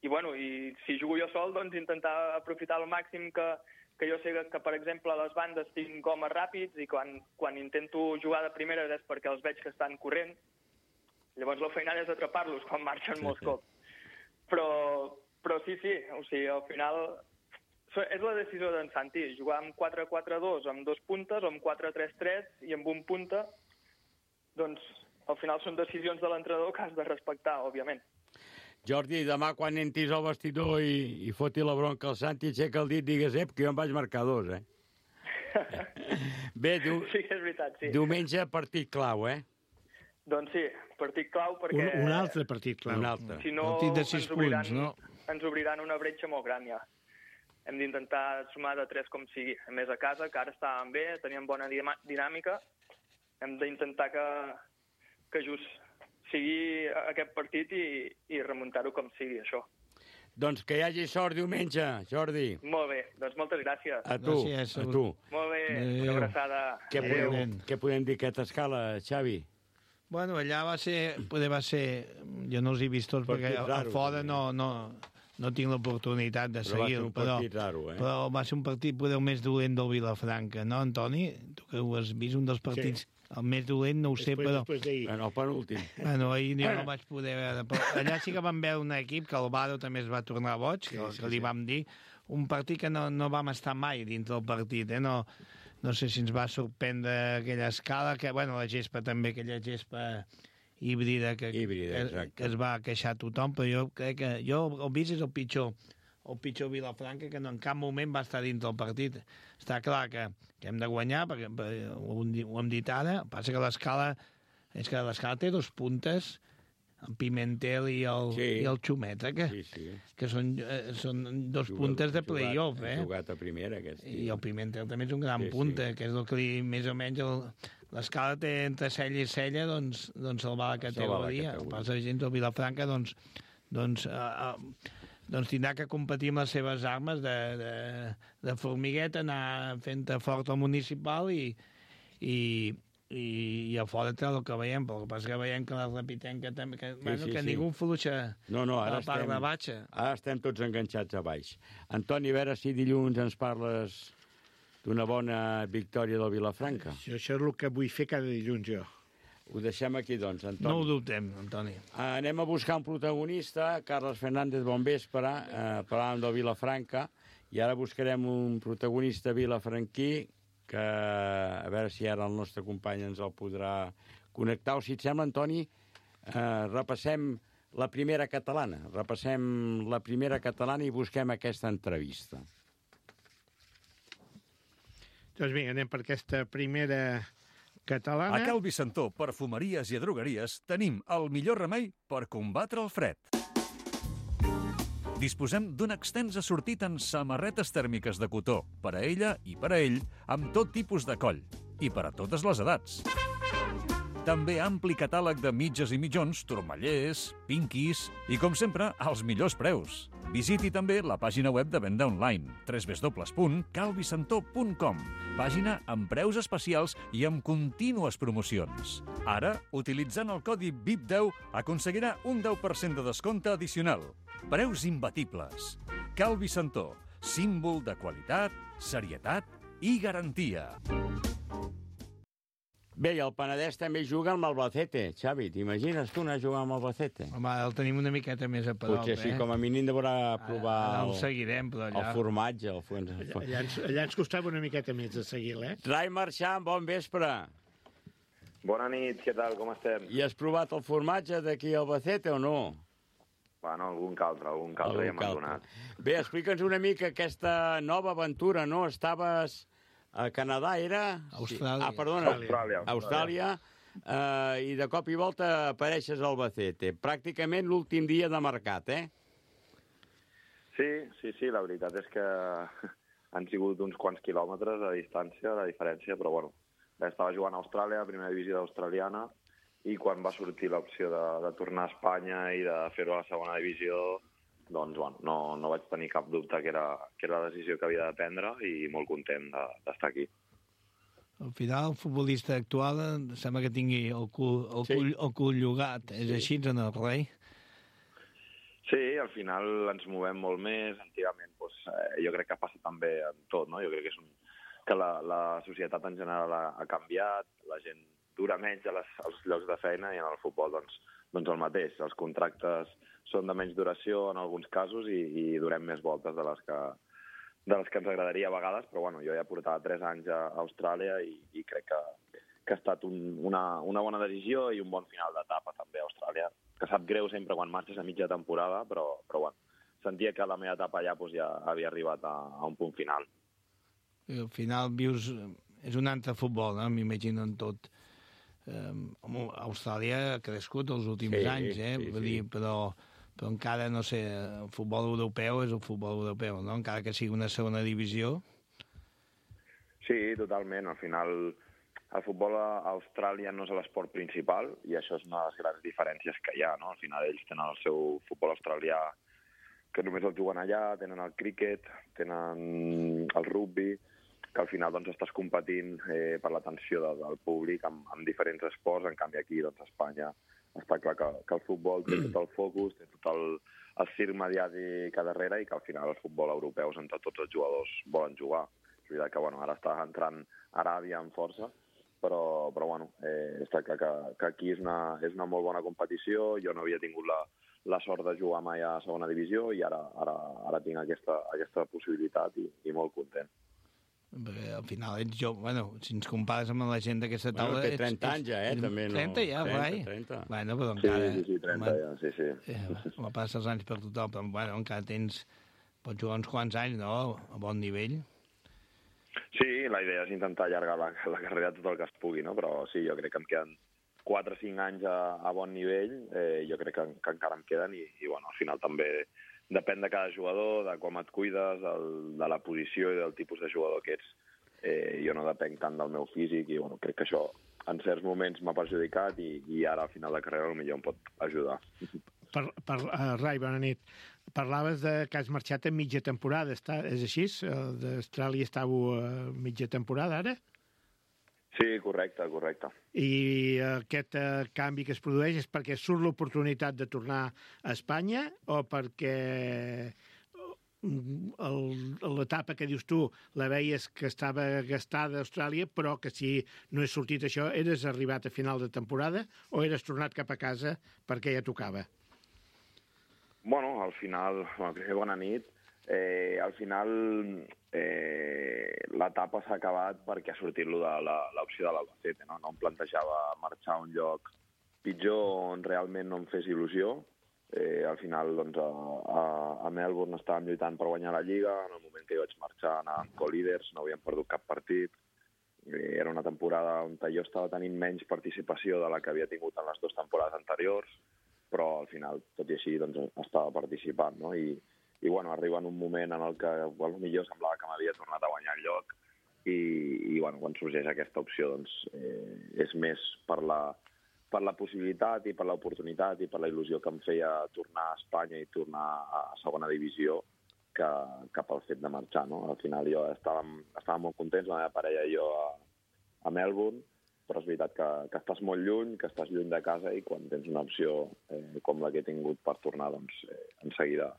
i, bueno, i si jugo jo sol, doncs intentar aprofitar al màxim que, que jo sé que, que, per exemple, a les bandes tinc homes ràpids i quan, quan intento jugar de primeres és perquè els veig que estan corrent. Llavors, la feinada és atrapar-los quan marxen molts cops. Però, però sí, sí, o sigui, al final és la decisió d'en Santi, jugar amb quatre quatre dos, amb dos puntes, o amb quatre tres tres i amb un punta, doncs al final són decisions de l'entrenador que has de respectar, òbviament. Jordi, demà quan entris al vestidor i, i foti la bronca al Santi, aixeca el dit, digues, ep, que jo em vaig marcar dos, eh? Bé, du... sí que és veritat, sí. Diumenge partit clau, eh? Doncs sí, partit clau perquè... Un, un altre partit clau. Un altre. Si no, partit de sis ens obriran, punts, no? Ens obriran una bretxa molt gran, ja. Hem d'intentar sumar de tres com sigui. A més, a casa, que ara estàvem bé, teníem bona dinàmica, hem d'intentar que, que just sigui aquest partit i, i remuntar-ho com sigui, això. Doncs que hi hagi sort diumenge, Jordi. Molt bé, doncs moltes gràcies. A tu, Gràcies. a tu. Molt bé, Adéu. una abraçada. Què podem, què podem dir aquesta escala, Xavi? Bueno, allà va ser, poder va ser, jo no els he vist tots perquè a, a fora no, no, no tinc l'oportunitat de seguir-ho, però, raro, eh? però va ser un partit poder més dolent del Vilafranca, no, Antoni? Tu que ho has vist, un dels partits, sí. El més dolent, no ho sé, després, però... Després d'ahir. Bueno, el penúltim. Bueno, ahir jo no vaig poder veure, però allà sí que vam veure un equip que el Varo també es va tornar boig, que, sí, sí, que li sí. vam dir, un partit que no, no vam estar mai dintre del partit, eh, no... No sé si ens va sorprendre aquella escala, que, bueno, la gespa també, aquella gespa híbrida que, híbrida, que, que es va queixar tothom, però jo crec que jo el vist és el pitjor, el pitjor Vilafranca, que no, en cap moment va estar dins del partit. Està clar que, que hem de guanyar, perquè, perquè ho, ho hem dit ara, passa que l'escala és que l'escala té dos puntes, el Pimentel i el, sí. i el Xumeta, que, sí, sí. que són, eh, són dos jugat, puntes de play-off. Eh? Ha jugat a primera, aquest. I el Pimentel també és un gran sí, punta, sí. que és el que li, més o menys l'escala té entre cella i cella, doncs, doncs el va a la categoria. El passa de gent del Vilafranca, doncs, doncs, uh, uh, doncs tindrà que competir amb les seves armes de, de, de formigueta, anar fent fort al municipal i, i, i, i a fora té el que veiem, però el que passa que veiem que la Repitenca també, que, sí, bueno, sí, que sí. ningú fluixa no, no, ara a la part estem, de baixa. Ara estem tots enganxats a baix. Antoni, a veure si dilluns ens parles d'una bona victòria del Vilafranca. Això, això és el que vull fer cada dilluns, jo. Ho deixem aquí, doncs, Antoni. No ho dubtem, Antoni. Uh, anem a buscar un protagonista, Carles Fernández, bon vespre, uh, parlàvem del Vilafranca, i ara buscarem un protagonista vilafranquí que a veure si ara el nostre company ens el podrà connectar. O si et sembla, Antoni, eh, repassem la primera catalana. Repassem la primera catalana i busquem aquesta entrevista. Doncs vinga, anem per aquesta primera catalana. A Cal Vicentó, perfumeries i drogueries, tenim el millor remei per combatre el fred. Disposem d'un extens assortit en samarretes tèrmiques de cotó, per a ella i per a ell, amb tot tipus de coll, i per a totes les edats. També ampli catàleg de mitges i mitjons, turmallers, pinquis i, com sempre, als millors preus. Visiti també la pàgina web de venda online, w w w punt cal vicentó punt com, pàgina amb preus especials i amb contínues promocions. Ara, utilitzant el codi V I P deu, aconseguirà un deu per cent de descompte addicional. Preus imbatibles. Cal Vicentó, símbol de qualitat, serietat i garantia. Bé, i el Penedès també juga amb Albacete. Xavi, t'imagines tu anar a jugar amb Albacete? Home, el tenim una miqueta més a prop, Potser sí, eh? com a mínim deurà provar ara, ara el, el, seguirem, però allà... el formatge. El for... allà, allà, ens, allà ens costava una miqueta més de seguir-lo, eh? Rai Marchant, bon vespre. Bona nit, què tal, com estem? I has provat el formatge d'aquí a Albacete o no? Bueno, algun que altre, algun que altre ja m'ha donat. Bé, explica'ns una mica aquesta nova aventura, no? Estaves a Canadà, era? Austràlia. Ah, perdona. Austràlia. Austràlia. uh, i de cop i volta apareixes al Albacete. Pràcticament l'últim dia de mercat, eh? Sí, sí, sí, la veritat és que han sigut uns quants quilòmetres de distància, la diferència, però bueno, estava jugant a Austràlia, a primera divisió australiana, i quan va sortir l'opció de, de tornar a Espanya i de fer-ho a la segona divisió, doncs bueno, no, no vaig tenir cap dubte que era, que era la decisió que havia de prendre i molt content d'estar aquí. Al final, el futbolista actual sembla que tingui el cul, el Sí. cul, el cul llogat. És Sí. així, en el rei? Sí, al final ens movem molt més. Antigament, doncs, eh, jo crec que passa també en tot, no? Jo crec que, és un, que la, la societat en general ha, ha canviat, la gent dura menys a les, als llocs de feina i en el futbol doncs, doncs el mateix. Els contractes són de menys duració en alguns casos i, i durem més voltes de les que, de les que ens agradaria a vegades, però bueno, jo ja portava tres anys a Austràlia i, i crec que, que ha estat un, una, una bona decisió i un bon final d'etapa també a Austràlia, que sap greu sempre quan marxes a mitja temporada, però, però bueno, sentia que la meva etapa allà doncs, ja havia arribat a, a un punt final. I al final vius... És un altre futbol, no? M'imagino en tot. Eh, Austràlia ha crescut els últims Sí, anys, eh? sí, Vull sí. dir, però, però encara, no sé, el futbol europeu és el futbol europeu, no? Encara que sigui una segona divisió. Sí, totalment. Al final, el futbol a Austràlia no és l'esport principal i això és una de les grans diferències que hi ha, no? Al final ells tenen el seu futbol australià que només el juguen allà, tenen el críquet, tenen el rugbi, que al final doncs, estàs competint eh, per l'atenció de, del públic amb, amb diferents esports. En canvi aquí doncs, a Espanya està clar que, que el futbol té tot el focus, té tot el, el circ mediàtic a darrere i que al final el futbol europeu és on tots els jugadors volen jugar. És veritat que bueno, ara està entrant Aràbia amb força, però, però bueno, eh, està clar que, que aquí és una, és una molt bona competició. Jo no havia tingut la, la sort de jugar mai a segona divisió i ara, ara, ara tinc aquesta, aquesta possibilitat i, i molt content. Perquè al final ets jo, bueno, si ens compares amb la gent d'aquesta Bueno, taula... té trenta anys ja, eh, també, no? trenta ja, trenta, rai. trenta. Bueno, però Sí, encara... sí, sí, trenta ja, sí, sí. Eh, me passa els anys per tothom, però bueno, encara tens... Pots jugar uns quants anys, no?, a bon nivell. Sí, la idea és intentar allargar la, la carrera tot el que es pugui, no? Però sí, jo crec que em queden quatre o cinc anys a, a bon nivell, eh, jo crec que, que encara em queden i, i bueno, al final també depèn de cada jugador, de com et cuides, el, de la posició i del tipus de jugador que ets. Eh, jo no depenc tant del meu físic i bueno, crec que això en certs moments m'ha perjudicat i, i ara al final de carrera potser em pot ajudar. Per, per, uh, Rai, bona nit. Parlaves de que has marxat a mitja temporada, està, és així? Uh, D'Austràlia estàveu a mitja temporada ara? Sí, correcte, correcte. I uh, aquest uh, canvi que es produeix és perquè surt l'oportunitat de tornar a Espanya o perquè l'etapa que dius tu la veies que estava gastada a Austràlia, però que si no és sortit això, eres arribat a final de temporada o eres tornat cap a casa perquè ja tocava? Bueno, al final, bueno, primer bona nit. Eh, al final eh, l'etapa s'ha acabat perquè ha sortit lo de l'opció de l'Albacete, no? No em plantejava marxar a un lloc pitjor on realment no em fes il·lusió. Eh, al final, doncs, a, a, a Melbourne estàvem lluitant per guanyar la Lliga. En el moment que jo vaig marxar anàvem co-líders, no havíem perdut cap partit. Eh, era una temporada on jo estava tenint menys participació de la que havia tingut en les dues temporades anteriors, però al final, tot i així, doncs, estava participant, no? I, i bueno, arriba en un moment en el que potser semblava que m'havia tornat a guanyar el lloc i, i bueno, quan sorgeix aquesta opció, doncs, eh, és més per la, per la possibilitat i per l'oportunitat i per la il·lusió que em feia tornar a Espanya i tornar a segona divisió que, que pel fet de marxar, no? Al final jo estàvem, estàvem molt contents, la meva parella i jo a, a Melbourne, però és veritat que, que estàs molt lluny, que estàs lluny de casa i quan tens una opció eh, com la que he tingut per tornar, doncs eh, en seguida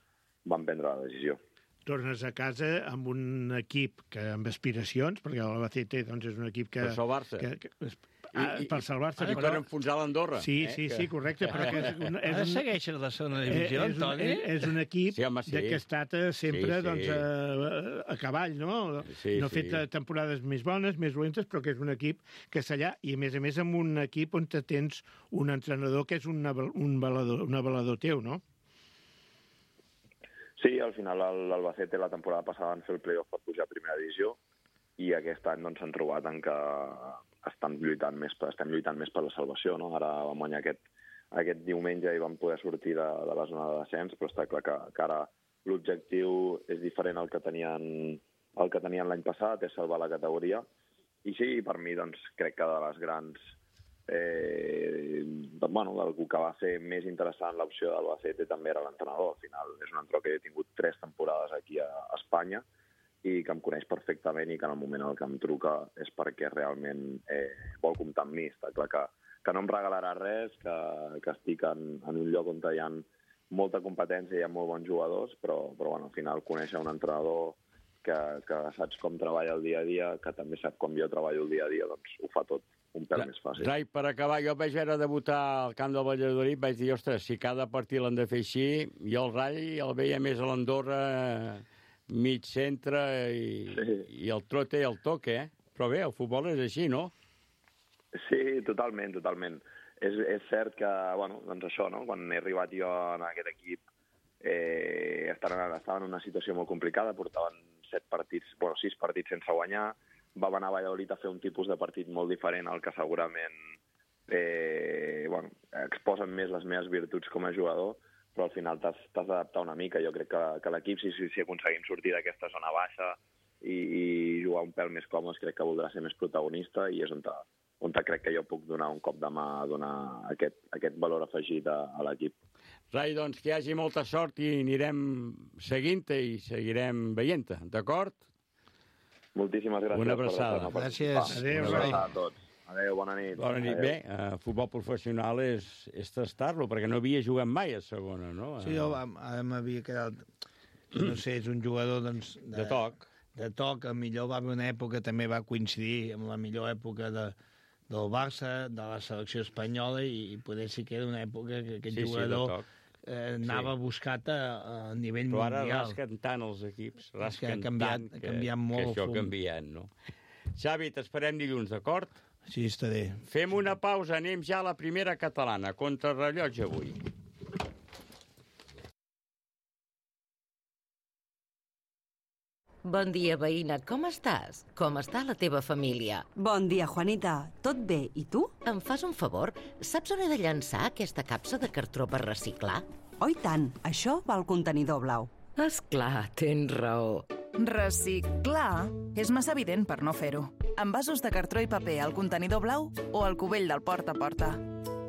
vam prendre la decisió. Tornes a casa amb un equip que amb aspiracions, perquè l'Albacete doncs, és un equip que... Per salvar-se. Que, que, ah, per salvar-se. I per enfonsar l'Andorra. Sí, sí, eh, sí, correcte. Però que és un, és Ara un, segueixes la segona divisió, és un, Antoni? és, és un equip Sí, home, sí. de que ha estat eh, sempre Sí, sí. doncs, a, a cavall, no? Sí, no ha fet sí. temporades més bones, més dolentes, però que és un equip que és allà, i a més a més amb un equip on te tens un entrenador que és un, un, avalador, un avalador teu, no? Sí, al final l'Albacete la temporada passada van fer el playoff per pujar a primera divisió i aquest any doncs, s'han trobat en que estan lluitant més per, estem lluitant més per la salvació, no? Ara vam guanyar aquest, aquest diumenge i vam poder sortir de, de la zona de descens, però està clar que, que ara l'objectiu és diferent al que tenien, el que tenien l'any passat, és salvar la categoria. I sí, per mi, doncs, crec que de les grans... Eh, doncs, bueno, el que va fer més interessant l'opció d'Albacete també era l'entrenador. Al final és un entrenador que he tingut tres temporades aquí a, a Espanya i que em coneix perfectament i que en el moment en el que em truca és perquè realment eh, vol comptar amb mi. Està clar que, que no em regalarà res, que, que estic en, en un lloc on hi ha molta competència i hi ha molt bons jugadors, però, però bueno, al final conèixer un entrenador que, que saps com treballa el dia a dia, que també sap com jo treballo el dia a dia, doncs ho fa tot un pèl més fàcil. Rai, per acabar, jo vaig veure debutar al camp del Valladolid, vaig dir, ostres, si cada partit l'han de fer així, jo el Rai el veia més a l'Andorra, mig centre, i, sí. i el trote i el toque, eh? Però bé, el futbol és així, no? Sí, totalment, totalment. És, és cert que, bueno, doncs això, no? Quan he arribat jo en aquest equip, eh, estaven, estaven en una situació molt complicada, portaven set partits, bueno, sis partits sense guanyar, vam anar a Valladolid a fer un tipus de partit molt diferent al que segurament eh, bueno, exposen més les meves virtuts com a jugador, però al final t'has d'adaptar una mica. Jo crec que, que l'equip, si, si aconseguim sortir d'aquesta zona baixa i, i jugar un pèl més còmodes, crec que voldrà ser més protagonista i és on, ta, on ta crec que jo puc donar un cop de mà, donar aquest, aquest valor afegit a, a l'equip. Rai, doncs que hi hagi molta sort i anirem seguint-te i seguirem veient-te, d'acord? Moltíssimes gràcies. Una abraçada. Gràcies. Adéu, una abraçada a tots. Adéu, bona nit. Bona nit. Adéu. Bé, uh, futbol professional és, és tastar-lo, perquè no havia jugat mai a segona, no? Sí, jo m'havia quedat... No sé, és un jugador, doncs... De, de toc. De toc, a millor va haver una època, també va coincidir amb la millor època de, del Barça, de la selecció espanyola, i, i poder ser que era una època que aquest sí, jugador... Sí, Eh, anava sí. buscat a, a nivell però mundial. Però ara rasquen tant els equips, rasquen ha canviat, tant que, ha canviat molt que això fum. ha canviat, no? Xavi, t'esperem dilluns, d'acord? Sí, estaré. Fem una pausa, anem ja a la primera catalana, contrarrellotge avui. Bon dia, veïna. Com estàs? Com està la teva família? Bon dia, Juanita. Tot bé. I tu? Em fas un favor? Saps on he de llançar aquesta capsa de cartró per reciclar? Oh, i tant. Això va al contenidor blau. Esclar, tens raó. Reciclar és massa evident per no fer-ho. Envasos de cartró i paper al contenidor blau o al cubell del porta a porta.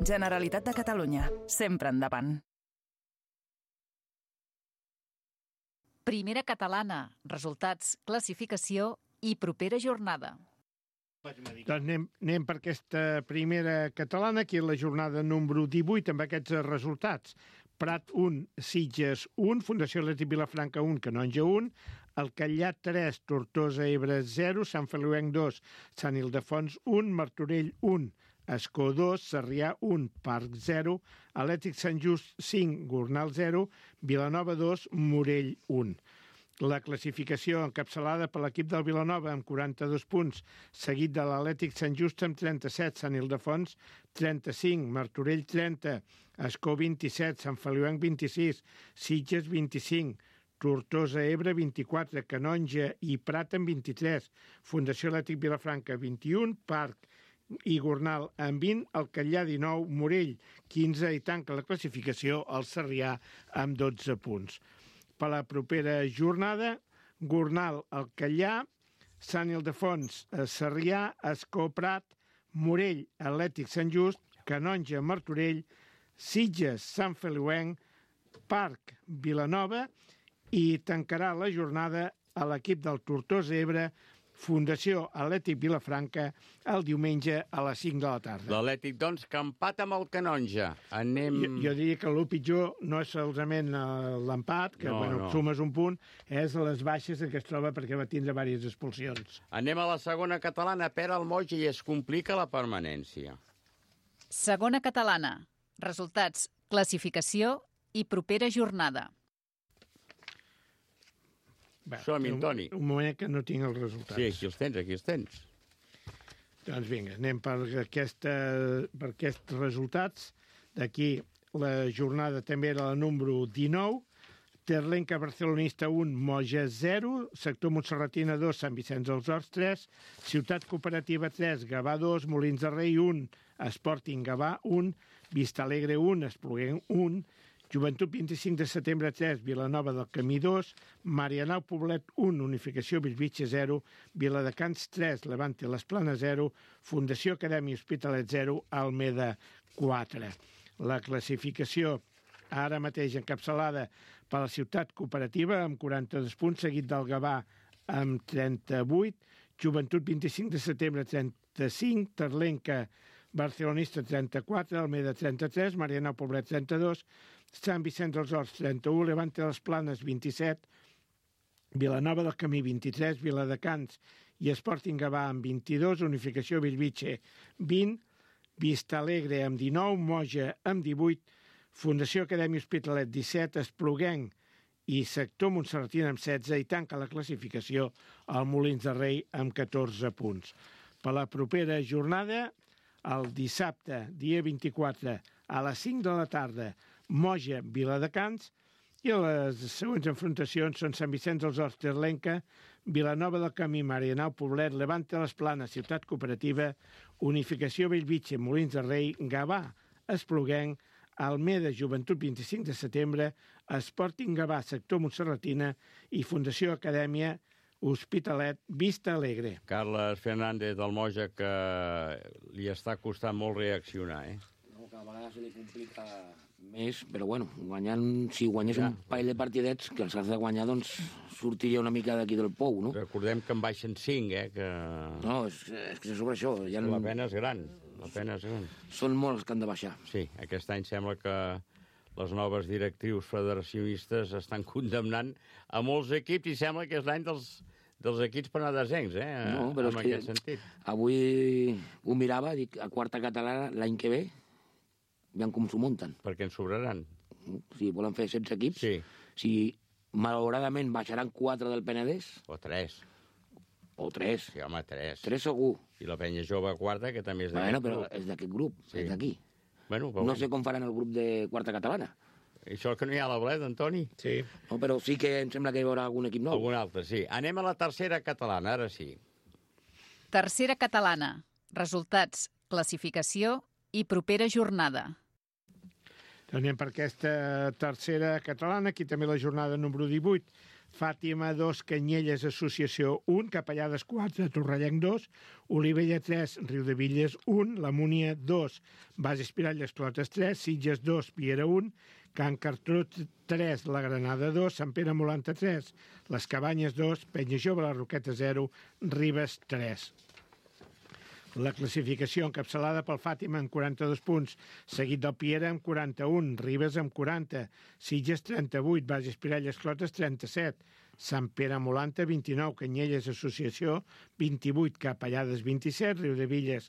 Generalitat de Catalunya. Sempre endavant. Primera catalana, resultats, classificació i propera jornada. Doncs anem, anem per aquesta primera catalana, que és la jornada número divuit, amb aquests resultats. Prat un, Sitges un, Fundació Atlètic Vilafranca un, Canonja un, Alcalà tres, Tortosa Ebre zero, Sant Feliuenc dos, Sant Ildefons un, Martorell un, Escó dos, Sarrià un, Parc zero, Atlètic Sant Just cinc, Gornal zero, Vilanova dos, Morell un. La classificació encapçalada per l'equip del Vilanova amb quaranta-dos punts, seguit de l'Atlètic Sant Just amb trenta-set, Sant Ildefons trenta-cinc, Martorell trenta, Escó vint-i-set, Sant Feliuenc vint-i-sis, Sitges vint-i-cinc, Tortosa Ebre vint-i-quatre, Canonja i Prat amb vint-i-tres, Fundació Atlètic Vilafranca vint-i-un, Parc i Gornal amb vint, Alcalà dinou, Morell quinze i tanca la classificació el Sarrià amb dotze punts. Per la propera jornada, Gornal, Alcalà, Sant Ildefons, Sarrià, Escó, Prat, Morell, Atlètic Sant Just, Canonja, Martorell, Sitges, Sant Feliuenc, Parc, Vilanova i tancarà la jornada a l'equip del Tortosa Ebre, Fundació Atlètic Vilafranca, el diumenge a les cinc de la tarda. L'Atlètic, doncs, que empat amb el Canonja. Anem... Jo, jo diria que el pitjor no és solament l'empat, que no, bueno, no. sumes un punt, és les baixes en què es troba perquè va tindre diverses expulsions. Anem a la segona catalana, Pere Almoig, i es complica la permanència. Segona catalana, resultats, classificació i propera jornada. Som-hi, Toni. Un, un moment que no tinc els resultats. Sí, aquí els tens, aquí els tens. Doncs vinga, anem per, aquesta, per aquests resultats. D'aquí la jornada també era la número dinou. Terlenca Barcelonista un, Moja zero, Sector Montserratina dos, Sant Vicenç dels Horts tres, Ciutat Cooperativa tres, Gavà dos, Molins de Rei un, Sporting Gavà un, Vista Alegre un, Espluguenc un, Joventut vint-i-cinc de setembre tres, Vilanova del Camí dos, Marianao Poblet un, Unificació Bellvitge zero, Viladecans tres, Levante Les Planes zero, Fundació Acadèmia Hospitalet zero, Almeda quatre. La classificació ara mateix encapçalada per la Ciutat Cooperativa amb quaranta-dos punts, seguit del Gavà amb trenta-vuit, Joventut vint-i-cinc de setembre trenta-cinc, Terlenca Barcelonista trenta-quatre, Almeda trenta-tres, Marianao Poblet trenta-dos, Sant Vicenç dels Horts trenta-u, Levante Les Planes vint-i-set, Vilanova del Camí vint-i-tres, Viladecans i Sporting Gavà amb vint-i-dos, Unificació Bellvitge vint, Vista Alegre amb dinou, Moja amb divuit, Fundació Acadèmia Hospitalet disset, Espluguenc i Sector Montserratina amb setze i tanca la classificació el Molins de Rei amb catorze punts. Per la propera jornada, el dissabte, dia vint-i-quatre, a les cinc de la tarda, Moja, Viladecans, i les següents enfrontacions són Sant Vicenç dels Horts, Terlenca, Vilanova del Camí, Marianao Poblet, Levante Les Planes, Ciutat Cooperativa, Unificació Bellvitge, Molins de Rei, Gavà, Espluguenc, Almeda, Joventut vint-i-cinc de setembre, Sporting Gavà, Sector Montserratina i Fundació Acadèmia Hospitalet, Vista Alegre. Carles Fernández del Moja, que li està costant molt reaccionar, eh? No, cada vegada se li complica més, però bueno, guanyant, si guanyés ja un parell de partidets, que els has de guanyar, doncs sortiria una mica d'aquí del pou, no? Recordem que en baixen cinc, eh? Que... No, és, és que sobre això... Ja la pena és gran, la pena és gran. Són molts que han de baixar. Sí, aquest any sembla que les noves directrius federacionistes estan condemnant a molts equips i sembla que és l'any dels, dels equips penedesencs, eh? No, però en és que aquest sentit. Avui ho mirava, dic, a quarta catalana l'any que ve, veiem com s'ho munten. Perquè ens sobraran. Si volen fer setze equips, sí. Si malauradament baixaran quatre del Penedès... O tres. O tres. Sí, home, tres. Tres segur. I la penya jove quarta, que també és d'aquest bueno, però grup. És d'aquest grup, sí. És d'aquí. Bueno, però... No sé com faran el grup de quarta catalana. Això que no hi ha a la Bleda, Antoni? Sí. No, però sí que em sembla que hi haurà algun equip nou. Algun altre, sí. Anem a la tercera catalana, ara sí. Tercera catalana. Resultats, classificació i propera jornada. Anem per aquesta tercera catalana, aquí també la jornada número divuit. Fàtima dos, Canyelles Associació un, Capellades quatre, Torrellenc dos, Olivella tres, Riudevilles un, La Múnia dos, Base Espiralles Clotes tres, Sitges dos, Piera un, Can Cartró tres, La Granada dos, Sant Pere Molanta tres, Les Cabanyes dos, Penya Jove, La Roqueta zero, Ribes tres. La classificació encapçalada pel Fàtima amb quaranta-dos punts, seguit del Piera amb quaranta-un, Ribes amb quaranta, Sitges trenta-vuit, Base Espiralles Clotes trenta-set, Sant Pere Molanta vint-i-nou, Canyelles Associació vint-i-vuit, Capellades vint-i-set, Riudevilles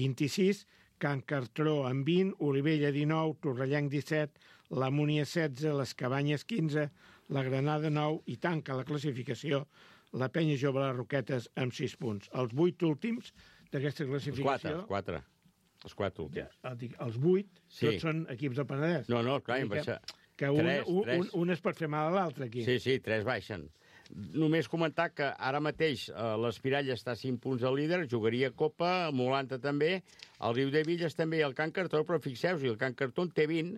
vint-i-sis, Can Cartró amb vint, Olivella dinou, Torrellenc disset, La Múnia setze, Les Cabanyes quinze, La Granada nou i tanca la classificació la Penya Jove Les Roquetes amb sis punts. Els vuit últims d'aquesta classificació... Els quatre, els quatre últims. Ja, els vuit, sí. Tots són equips del Penedès. No, no, clar, em baixa... Que un, tres, un, tres. Un, un es pot fer mal a l'altre, aquí. Sí, sí, tres baixen. Només comentar que ara mateix eh, l'Espirall està a cinc punts al líder, jugaria Copa, Molanta també, el Riudevilles també i el Can Cartró, però fixeu-vos, el Can Cartró en té vint,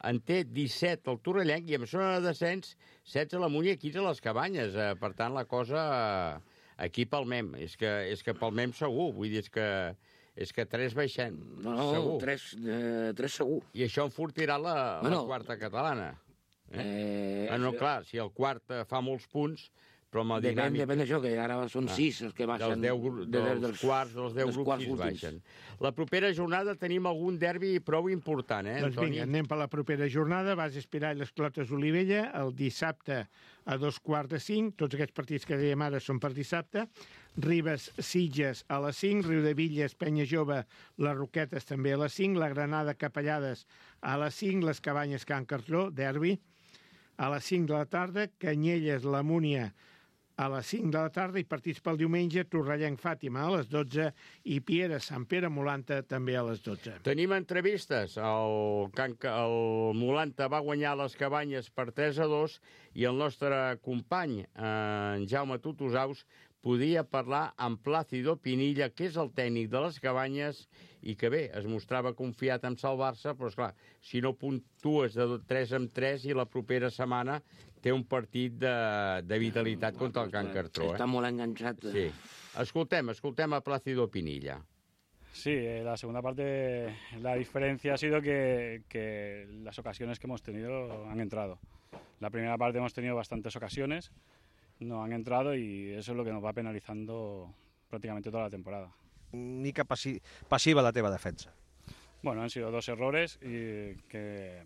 en té disset el Torrellenc i amb zona de descens setze la Múnia i quinze les Cabanyes. Eh, per tant, la cosa... Eh, aquí palmem, és que, és que palmem segur, vull dir, és que, és que tres baixem, no, no, segur. Tres, eh, tres segur. I això enfortirà la, bueno, la quarta catalana. Eh? Eh, ah, no, clar, si el quart fa molts punts, però amb el depèn, dinàmic... Depèn d'això, que ara són ah, sis els que baixen. Dels, deu, dels, dels, dels quarts, dels deu dels grups, sis últims. Baixen. La propera jornada tenim algun derbi prou important, eh, doncs Antoni? Vinga, anem per la propera jornada. Base Espirall, les Clotes, Olivella, el dissabte a dos quarts de cinc. Tots aquests partits que dèiem ara són per dissabte. Ribes, Sitges a les cinc. Riudevilles, Penya Jove, les Roquetes també a les cinc. La Granada, Capellades a les cinc. Les Cabanyes, Can Cartró, derbi. A les cinc de la tarda, Canyelles, La Múnia, a les cinc de la tarda, i partits pel diumenge, Torrellenc-Fàtima a les dotze i Piera-Sant Pere-Molanta també a les dotze. Tenim entrevistes. El, Can... el Molanta va guanyar les Cabanyes per tres a dos i el nostre company, en Jaume Tutusaus, podia parlar amb Plácido Pinilla, que és el tècnic de les Cabanyes i que bé, es mostrava confiat en salvar-se, però esclar, si no puntues de tres en tres i la propera setmana té un partit de, de vitalitat contra el Can Cartró. Està eh? molt enganxat. Sí. Escoltem, escoltem a Plácido Pinilla. Sí, eh, la segunda parte, la diferencia ha sido que, que las ocasiones que hemos tenido han entrado. La primera parte hemos tenido bastantes ocasiones, no han entrado y eso es lo que nos va penalizando prácticamente toda la temporada. Mica passi passiva la teva defensa. Bueno, han sido dos errores y que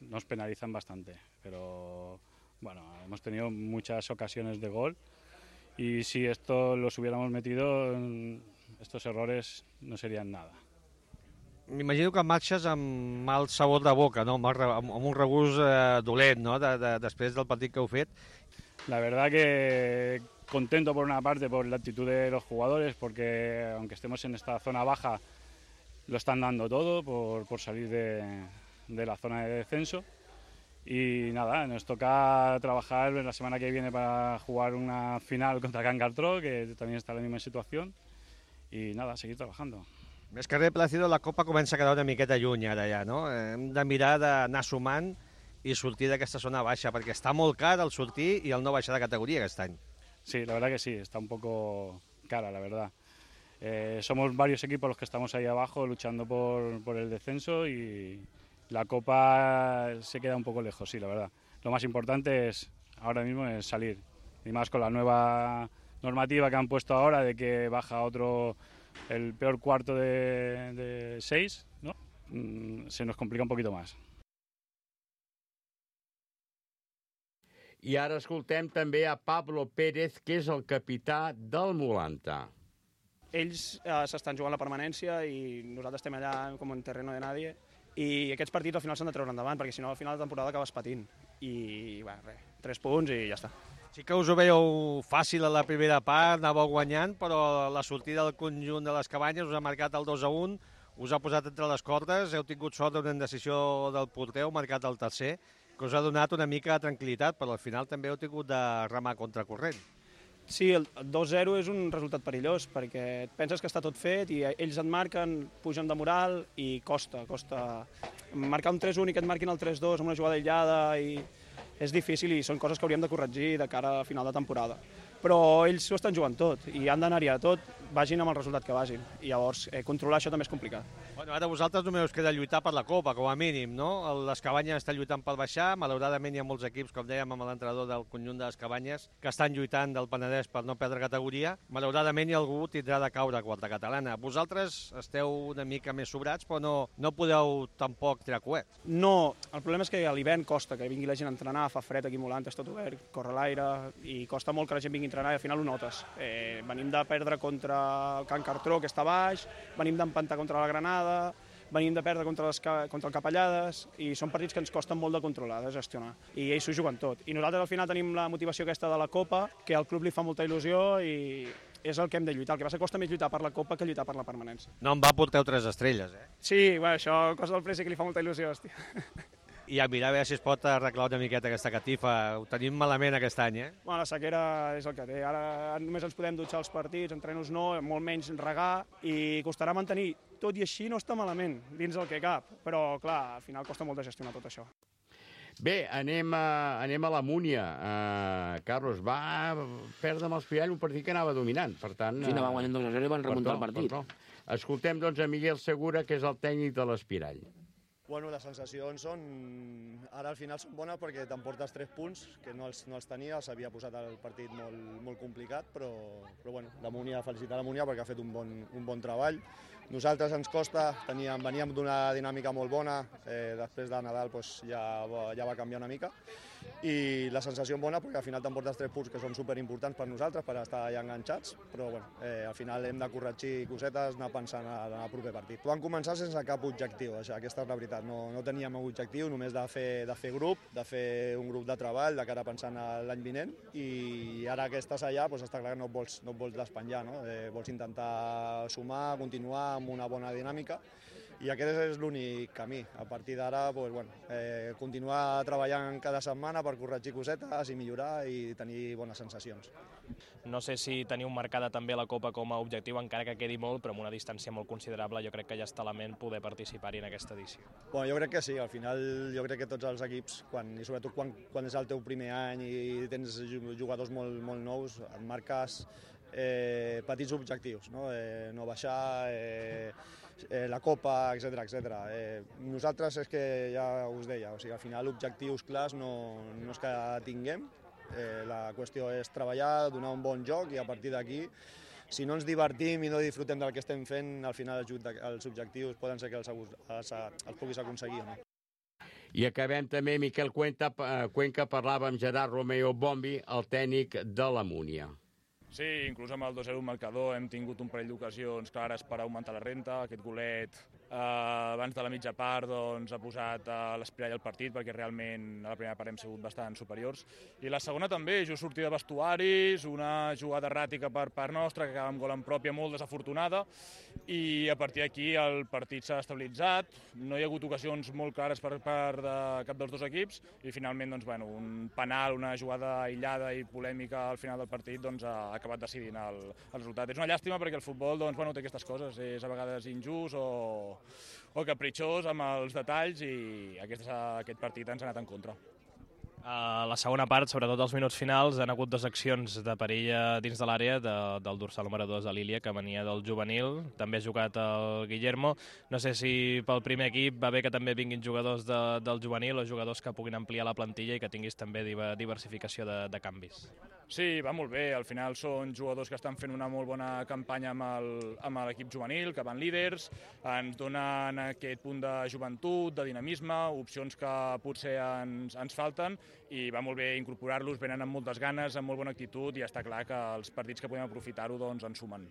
nos penalizan bastante, pero bueno, hemos tenido muchas ocasiones de gol y si esto los hubiéramos metido, estos errores no serían nada. M'imagino que marxes amb mal sabor de boca, no? amb, amb un regust eh, dolent, no? de, de, després del partit que heu fet. La verdad que contento por una parte por la actitud de los jugadores, porque aunque estemos en esta zona baja, lo están dando todo por, por salir de, de la zona de descenso. Y nada, nos toca trabajar la semana que viene para jugar una final contra Can Cartró, que también está en la misma situación. Y nada, seguir trabajando. Més que res, Plácido, la Copa comença a quedar una miqueta lluny ara ja, no? Hem de mirar d'anar sumant i sortir d'aquesta zona baixa, perquè està molt car el sortir i el no baixar de categoria aquest any. Sí, la verdad que sí, está un poco cara, la verdad. Eh, somos varios equipos los que estamos ahí abajo luchando por, por el descenso y la Copa se queda un poco lejos, sí, la verdad. Lo más importante es ahora mismo es salir, y más con la nueva normativa que han puesto ahora de que baja otro, el peor cuarto de, de seis, ¿no? Mm, se nos complica un poquito más. I ara escoltem també a Pablo Pérez, que és el capità del Molanta. Ells eh, s'estan jugant la permanència i nosaltres estem allà com en terreno de nadie i aquests partits al final s'han de treure endavant perquè si no al final de temporada acabes patint i bé, res, tres punts i ja està. Sí que us ho veieu fàcil a la primera part, anàveu guanyant, però la sortida del conjunt de les Cabanyes us ha marcat el dos a un, us ha posat entre les cordes, heu tingut sort d'una indecisió del porter, heu marcat el tercer, que us ha donat una mica de tranquil·litat, però al final també heu tingut de remar contracorrent. Sí, el dos zero és un resultat perillós, perquè et penses que està tot fet i ells et marquen, pugen de moral i costa, costa. Marcar un tres un i que et marquin el tres dos amb una jugada aïllada i és difícil i són coses que hauríem de corregir de cara a final de temporada. Però ells ho estan jugant tot i han d'anar-hi a tot, vagin amb el resultat que vagin. I llavors, eh, controlar això també és complicat. Bueno, ara vosaltres només us queda lluitar per la Copa, com a mínim, no? Les Cabanyes estan lluitant per baixar, malauradament hi ha molts equips, com dèiem amb l'entrenador del conjunt de les Cabanyes, que estan lluitant del Penedès per no perdre categoria. Malauradament hi ha algú tindrà de caure a quarta catalana. Vosaltres esteu una mica més sobrats, però no, no podeu tampoc tirar coet. No, el problema és que a l'hivern costa que vingui la gent a entrenar, fa fred aquí a Molanta, és tot obert, corre l'aire, i costa molt que la gent vingui a entrenar i al final ho notes. Eh, venim de perdre contra el Can Cartró, que està baix, venim d'empantar contra la Granada, venim de perdre contra, les, contra el Capellades, i són partits que ens costen molt de controlar, de gestionar, i ells s'ho juguen tot. I nosaltres al final tenim la motivació aquesta de la Copa, que al club li fa molta il·lusió i és el que hem de lluitar. El que passa que costa més lluitar per la Copa que lluitar per la permanència. No em va porteu tres estrelles, eh? Sí, bueno, això cosa del Presi que li fa molta il·lusió, hòstia. I a mirar a veure si es pot arreglar una miqueta aquesta catifa. Ho tenim malament aquest any, eh? Bueno, la sequera és el que té. Ara només ens podem dutxar els partits, entrenos no, molt menys regar, i costarà mantenir. Tot i així no està malament, dins el que cap. Però, clar, al final costa molt de gestionar tot això. Bé, anem a, anem a la Múnia. Uh, Carlos, va perdre amb els Pirall un partit que anava dominant. Per tant, sí, anava guanyant dos a zero i van remuntar el partit. Escoltem, doncs, a Miguel Segura, que és el tècnic de l'Espirall. Bueno, les sensacions són... Ara al final són bones perquè t'emportes tres punts, que no els, no els tenia, els havia posat el partit molt, molt complicat, però, però bueno, la Múnia, felicitar la Múnia perquè ha fet un bon, un bon treball. Nosaltres ens costa, teníem, veníem d'una dinàmica molt bona, eh, després de Nadal doncs, ja, ja va canviar una mica, i la sensació bona perquè al final t'emportes tres punts que són superimportants per nosaltres, per estar allà enganxats, però bueno, eh, al final hem de corregir cosetes, anar pensant en el proper partit. Vam començar sense cap objectiu, això, aquesta és la veritat, no, no teníem un objectiu, només de fer, de fer grup, de fer un grup de treball, de cara pensant a l'any vinent, i ara que estàs allà doncs està clar que no et vols, no et vols despenjar, no? Eh, vols intentar sumar, continuar amb una bona dinàmica, i aquest és l'únic camí. A partir d'ara, doncs, bueno, eh, continuar treballant cada setmana per corregir cosetes i millorar i tenir bones sensacions. No sé si teniu marcada també la Copa com a objectiu, encara que quedi molt, però amb una distància molt considerable, jo crec que ja està a la ment poder participar-hi en aquesta edició. Bueno, jo crec que sí, al final jo crec que tots els equips, quan, i sobretot quan, quan és el teu primer any i tens jugadors molt, molt nous, et marques eh, petits objectius, no, eh, no baixar, eh, eh, la Copa, etcètera, etcètera. Eh, nosaltres és que ja us deia, o sigui, al final objectius clars no, no és que tinguem, eh, la qüestió és treballar, donar un bon joc i a partir d'aquí, si no ens divertim i no disfrutem del que estem fent, al final els objectius poden ser que els, els, els puguis aconseguir o no. I acabem també, Miquel Cuenca, Cuenca parlava amb Gerard Romeo Bombi, el tècnic de la Múnia. Sí, inclús amb el dos zero marcador hem tingut un parell d'ocasions clares per augmentar la renta. Aquest golet eh, abans de la mitja part doncs, ha posat a l'espirall el partit perquè realment a la primera part hem sigut bastant superiors. I la segona també, just sortir de vestuaris, una jugada erràtica per part nostra que acaba amb gol en pròpia molt desafortunada i a partir d'aquí el partit s'ha estabilitzat, no hi ha hagut ocasions molt clares per part de cap dels dos equips i finalment doncs, bueno, un penal, una jugada aïllada i polèmica al final del partit doncs, ha acabat decidint el, el resultat. És una llàstima perquè el futbol doncs, bueno, té aquestes coses, és a vegades injust o, o capritxós amb els detalls i aquest, aquest partit ens ha anat en contra. A la segona part, sobretot als minuts finals, han hagut dues accions de perill dins de l'àrea de, del dorsal número dos de l'Ilia, que venia del juvenil. També ha jugat el Guillermo. No sé si pel primer equip va bé que també vinguin jugadors de, del juvenil o jugadors que puguin ampliar la plantilla i que tinguis també diversificació de, de canvis. Sí, va molt bé. Al final són jugadors que estan fent una molt bona campanya amb l'equip juvenil, que van líders, ens donen aquest punt de joventut, de dinamisme, opcions que potser ens, ens falten, i va molt bé incorporar-los, venen amb moltes ganes, amb molt bona actitud, i està clar que els partits que podem aprofitar-ho doncs, en sumen.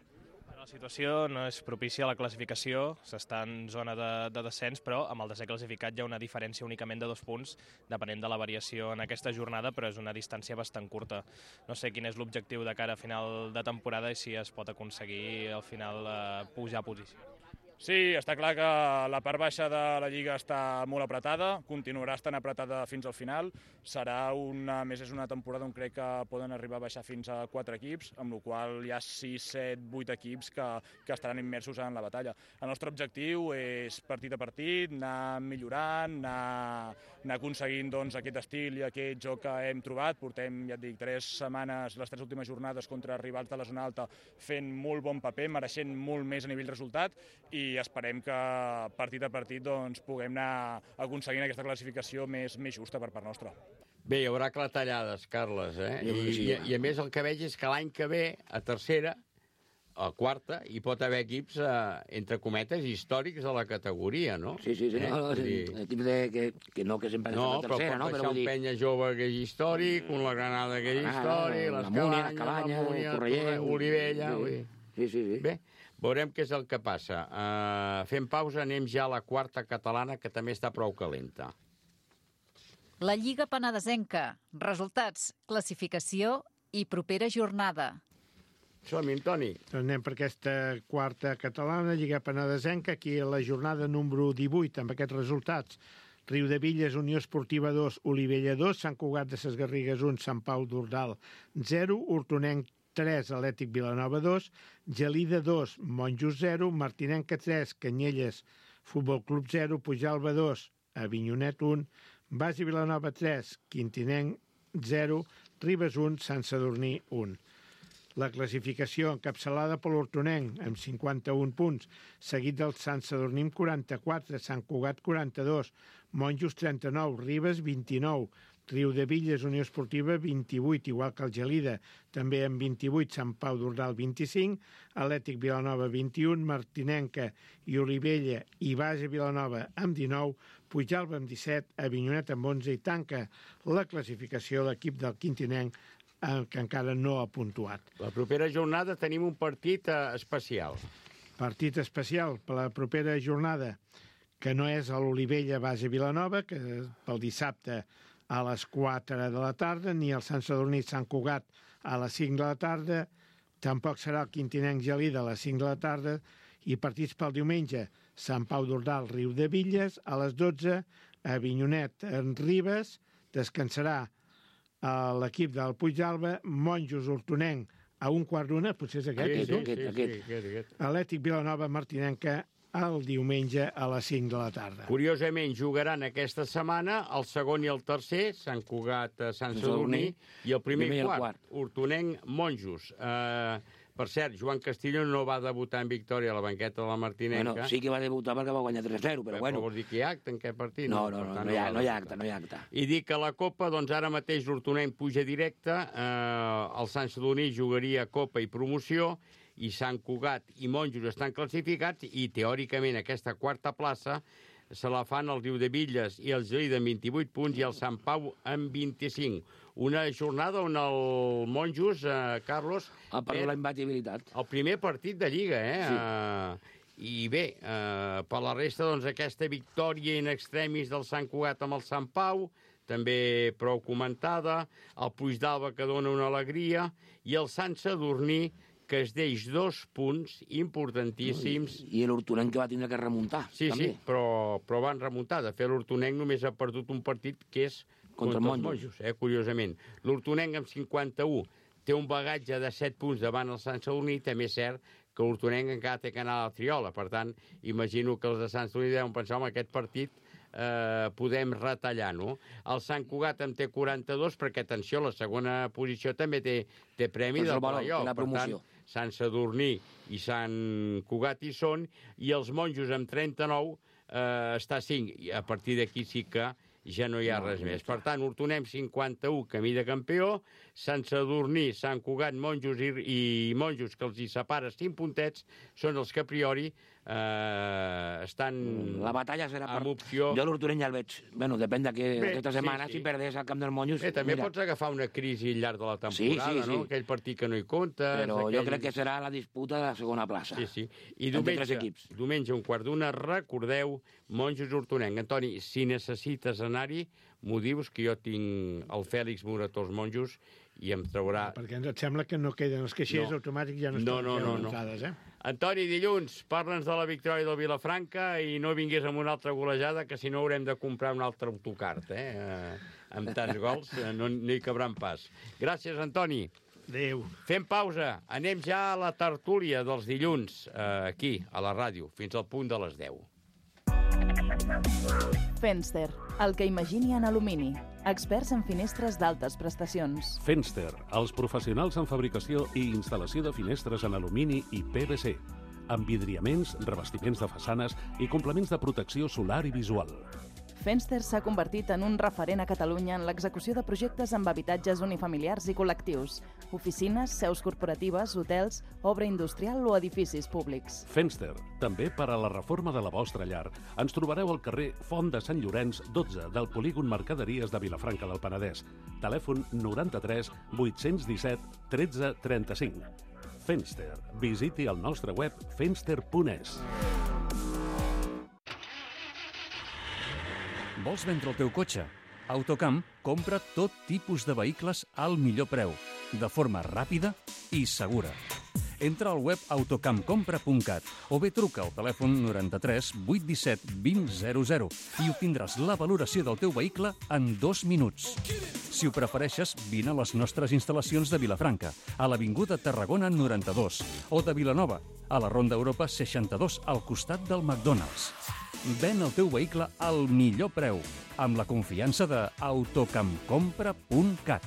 La situació no és propícia a la classificació, s'està en zona de, de descens, però amb el desè classificat hi ha una diferència únicament de dos punts, depenent de la variació en aquesta jornada, però és una distància bastant curta. No sé quin és l'objectiu de cara a final de temporada i si es pot aconseguir al final eh, pujar a posició. Sí, està clar que la part baixa de la Lliga està molt apretada, continuarà estant apretada fins al final. Serà una, més és una temporada on crec que poden arribar a baixar fins a quatre equips, amb la qual hi ha sis, set, vuit equips que, que estaran immersos en la batalla. El nostre objectiu és partit a partit, anar millorant, anar, anar aconseguint doncs, aquest estil i aquest joc que hem trobat. Portem, ja et dic, tres setmanes, les tres últimes jornades contra rivals de la zona alta fent molt bon paper, mereixent molt més a nivell resultat i i esperem que partit a partit doncs, puguem anar aconseguint aquesta classificació més, més justa per part nostra. Bé, hi haurà clatellades, Carles, eh? I, sí. i, I a més el que veig és que l'any que ve, a tercera, a quarta, hi pot haver equips, eh, entre cometes, històrics de la categoria, no? Sí, sí, sí. Eh? No, no, equips de, que, que no, que sempre no, la tercera, no? Però pot baixar un dir... Penya Jove que és històric, un la Granada que és històric, ah, les Múnia, Cabanyes, la Múnia, Correllent, Olivella... Sí, sí, sí. sí. Bé, veurem què és el que passa. Uh, fem pausa, anem ja a la quarta catalana, que també està prou calenta. La Lliga Penedesenca. Resultats, classificació i propera jornada. Som-hi, Toni. Doncs anem per aquesta quarta catalana, Lliga Penedesenca, aquí a la jornada número divuit, amb aquests resultats. Riudevilles, Unió Esportiva dos, Olivella dos, Sant Cugat de ses Garrigues un, Sant Pau d'Ordal zero, Hortonenc tres, Atlètic Vilanova dos, Gelida dos, Monjos zero, Martinenca tres, Canyelles, Futbol Club zero, Pujalba dos, Avinyonet un, Basi Vilanova tres, Quintinenc zero, Ribes un, Sant Sadurní un. La classificació encapçalada per l'Hortonenc amb cinquanta-un punts, seguit del Sant Sadurní amb quaranta-quatre, Sant Cugat quaranta-dos, Monjos trenta-nou, Ribes vint-i-nou, Riudebitlles, Unió Esportiva, vint-i-vuit, igual que el Gelida, també amb vint-i-vuit, Sant Pau d'Ordal, vint-i-cinc, Atlètic Vilanova, vint-i-un, Martinenca i Olivella i Base Vilanova amb dinou, Puigdàlber amb disset, Avinyonet amb onze i tanca la classificació l'equip del Quintinenc, que encara no ha puntuat. La propera jornada tenim un partit especial. Partit especial per la propera jornada, que no és a l'Olivella Base Vilanova, que pel dissabte a les quatre de la tarda, ni el Sant Sadurní Sant Cugat a les cinc de la tarda, tampoc serà el Quintinenc Gelida a les cinc de la tarda, i partits pel diumenge, Sant Pau d'Ordal, Riudebitlles, a les dotze, Avinyonet en Ribes, descansarà l'equip del Puigdàlber, Monjos Hortonenc a un quart d'una, potser és aquest, Sí, tu? sí, sí, sí, aquest, aquest. Atlètic Vilanova Martinenca el diumenge a les cinc de la tarda. Curiosament, jugaran aquesta setmana el segon i el tercer, Sant Cugat, Sant Sadurní, i el primer i quart, Hortonenc, Monjos. Uh, per cert, Joan Castillo no va debutar en victòria a la banqueta de la Martinenca. Bueno, sí que va debutar perquè va guanyar tres a zero, però, però bueno. Però vols dir que hi ha acte en aquest partit? No, no, no, no, no, hi ha, no hi ha acte, no hi ha acte. I dic que la Copa, doncs ara mateix l'Hortonenc puja directe, eh, el Sant Sadurní jugaria Copa i promoció, i Sant Cugat i Monjos estan classificats, i teòricament aquesta quarta plaça se la fan el Riudebitlles i el Gelida amb vint-i-vuit punts i el Sant Pau amb vint-i-cinc. Una jornada on el Monjos, eh, Carlos... Ha perdut la imbatibilitat. El primer partit de Lliga, eh? Sí. Uh, I bé, uh, per la resta, doncs, aquesta victòria in extremis del Sant Cugat amb el Sant Pau, també prou comentada, el Puigdàlber que dona una alegria, i el Sant Sadurní, que es deix dos punts importantíssims. I l'Hortonenc que va tindre que remuntar. Sí, també. sí, però, però van remuntar. De fet, l'Hortonenc només ha perdut un partit que és contra, contra els Monjos, eh, curiosament. L'Hortonenc amb cinquanta-u té un bagatge de set punts davant el Sant Sadurní, també és cert que l'Hortonenc encara té que anar a la triola. Per tant, imagino que els de Sant Sadurní deuen pensar, home, aquest partit eh, podem retallar, no? El Sant Cugat en té quaranta-dos, perquè, atenció, la segona posició també té, té premi Pues del valor, playoff. la promoció. Per tant, Sant Sadurní i Sant Cugat hi són, i els Monjos amb trenta-nou eh, està a cinc, i a partir d'aquí sí que ja no hi ha res més. Per tant, Hortonenc cinquanta-u, camí de campió, Sant Sadurní, Sant Cugat, Monjos i, i Monjos, que els hi separa cinc puntets, són els que a priori eh, estan... La batalla serà per... amb opció... Jo l'Hortonenc ja el veig. Bueno, depèn d'aquesta sí, setmana, sí. si perdés al camp dels Monjos... Bé, també mira. pots agafar una crisi al llarg de la temporada, sí, sí, sí. no? Aquell partit que no hi comptes... Però aquell... jo crec que serà la disputa de la segona plaça. Sí, sí. I diumenge, diumenge un quart d'una, recordeu, Monjos Hortonenc. Antoni, si necessites anar-hi, m'ho dius, que jo tinc el Fèlix Morató als Monjos i em traurà... Perquè ens et sembla que no queden els caixers no. automàtics, ja no no, estan no, no, no. entrades, eh? Antoni, dilluns, parla'ns de la victòria del Vilafranca i no vinguis amb una altra golejada, que si no haurem de comprar un altre autocart, eh? eh amb tants gols no, no hi cabran pas. Gràcies, Antoni. Adéu. Fem pausa. Anem ja a la tertúlia dels dilluns, eh, aquí, a la ràdio, fins al punt de les deu. Fenster, el que imagini en alumini. Experts en finestres d'altes prestacions. Fenster, els professionals en fabricació i instal·lació de finestres en alumini i P V C, amb vidriaments, revestiments de façanes i complements de protecció solar i visual. Fenster s'ha convertit en un referent a Catalunya en l'execució de projectes amb habitatges unifamiliars i col·lectius, oficines, seus corporatives, hotels, obra industrial o edificis públics. Fenster, també per a la reforma de la vostra llar. Ens trobareu al carrer Font de Sant Llorenç, dotze, del polígon Mercaderies de Vilafranca del Penedès. Telèfon noranta-tres vuit-cents disset tretze trenta-cinc. Fenster. Visiti el nostre web fenster punt es. Vols vendre el teu cotxe? Autocamp compra tot tipus de vehicles al millor preu, de forma ràpida i segura. Entra al web autocampcompra punt cat o bé truca al telèfon noranta-tres vuit disset vint zero zero i obtindràs la valoració del teu vehicle en dos minuts. Si ho prefereixes, vine a les nostres instal·lacions de Vilafranca, a l'Avinguda Tarragona noranta-dos, o de Vilanova, a la Ronda Europa seixanta-dos, al costat del McDonald's. Ven el teu vehicle al millor preu, amb la confiança de autocampcompra punt cat.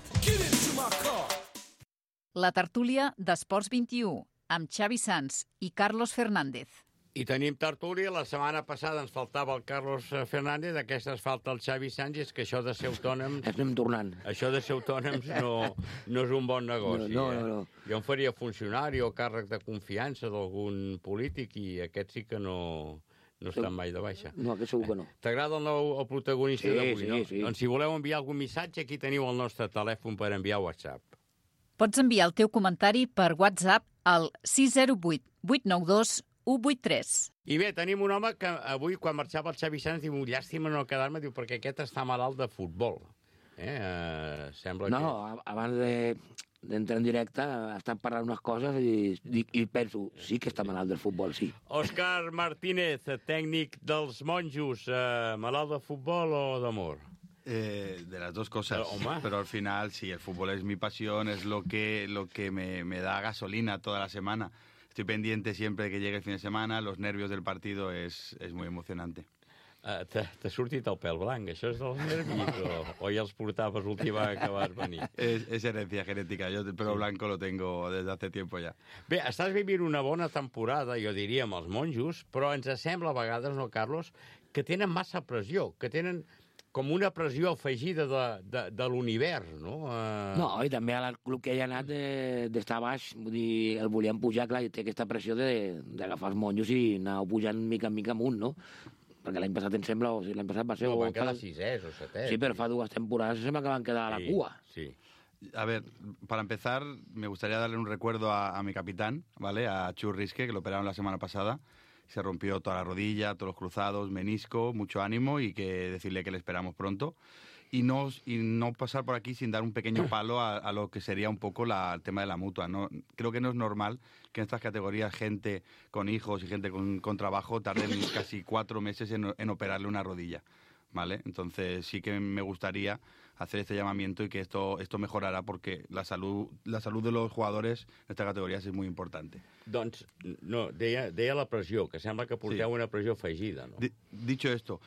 La tertúlia d'Esports vint i u, amb Xavi Sans i Carlos Fernández. I tenim tertúlia. La setmana passada ens faltava el Carlos Fernández, aquesta es falta el Xavi Sánchez, que això de ser autònoms... Estem tornant. Això de ser autònoms no, no és un bon negoci. No, no, no. Eh? Jo em faria funcionari o càrrec de confiança d'algun polític i aquest sí que no, no estan mai de baixa. No, aquest segur que no. T'agrada el, nou, el protagonista sí, d'avui, sí, no? Sí. Doncs si voleu enviar algun missatge, aquí teniu el nostre telèfon per enviar WhatsApp. Pots enviar el teu comentari per WhatsApp al sis zero vuit vuit nou dos u vuit tres. I bé, tenim un home que avui, quan marxava el Xavi Sánchez, diu, llàstima no quedar-me, diu, perquè aquest està malalt de futbol. Eh? Uh, sembla no, que... abans de, d'entrar en directe, ha estat parlant unes coses i, i, i penso, sí que està malalt del futbol, sí. Òscar Martínez, tècnic dels Monjos, uh, malalt de futbol o d'amor? Eh, de las dos cosas, pero, pero al final sí, el fútbol es mi pasión, es lo que, lo que me, me da gasolina toda la semana. Estoy pendiente siempre de que llegue el fin de semana, los nervios del partido es, es muy emocionante. Uh, T'ha sortit el pèl blanc, això és dels nervis o, o ja els portaves l'última que vas venir? Es, es herencia genética, yo el pelo sí. blanco lo tengo desde hace tiempo ya. Bé, estàs vivint una bona temporada, jo diria, amb els Monjos, però ens sembla a vegades, no, Carlos, que tenen massa pressió, que tenen com una pressió afegida de, de, de l'univers, no? Uh... No, i també al club que hi ha anat d'estar baix, vull dir, el volien pujar, clar, i té aquesta pressió d'agafar els Monjos i anar pujant mica en mica amunt, no? Perquè l'any passat em sembla, o sigui, l'any passat va ser... No, van quedar fa... sisès o setès. Sí, però fa dues temporades sembla que van quedar a la sí, cua. Sí. A ver, para empezar, me gustaría darle un recuerdo a, a mi capitán, ¿vale? A Chus Risque, que lo operaron la semana pasada. Se rompió toda la rodilla, todos los cruzados, menisco, mucho ánimo y que decirle que le esperamos pronto. Y no, y no pasar por aquí sin dar un pequeño palo a, a lo que sería un poco la, el tema de la mutua. No, creo que no es normal que en estas categorías gente con hijos y gente con, con trabajo tarden casi cuatro meses en, en operarle una rodilla, ¿vale? Entonces sí que me gustaría hacer este llamamiento y que esto, esto mejorará porque la salud, la salud de los jugadores en estas categorías es muy importante. Doncs, no, deia, deia la pressió, que sembla que porteu sí. una pressió afegida, ¿no? D- dicho esto,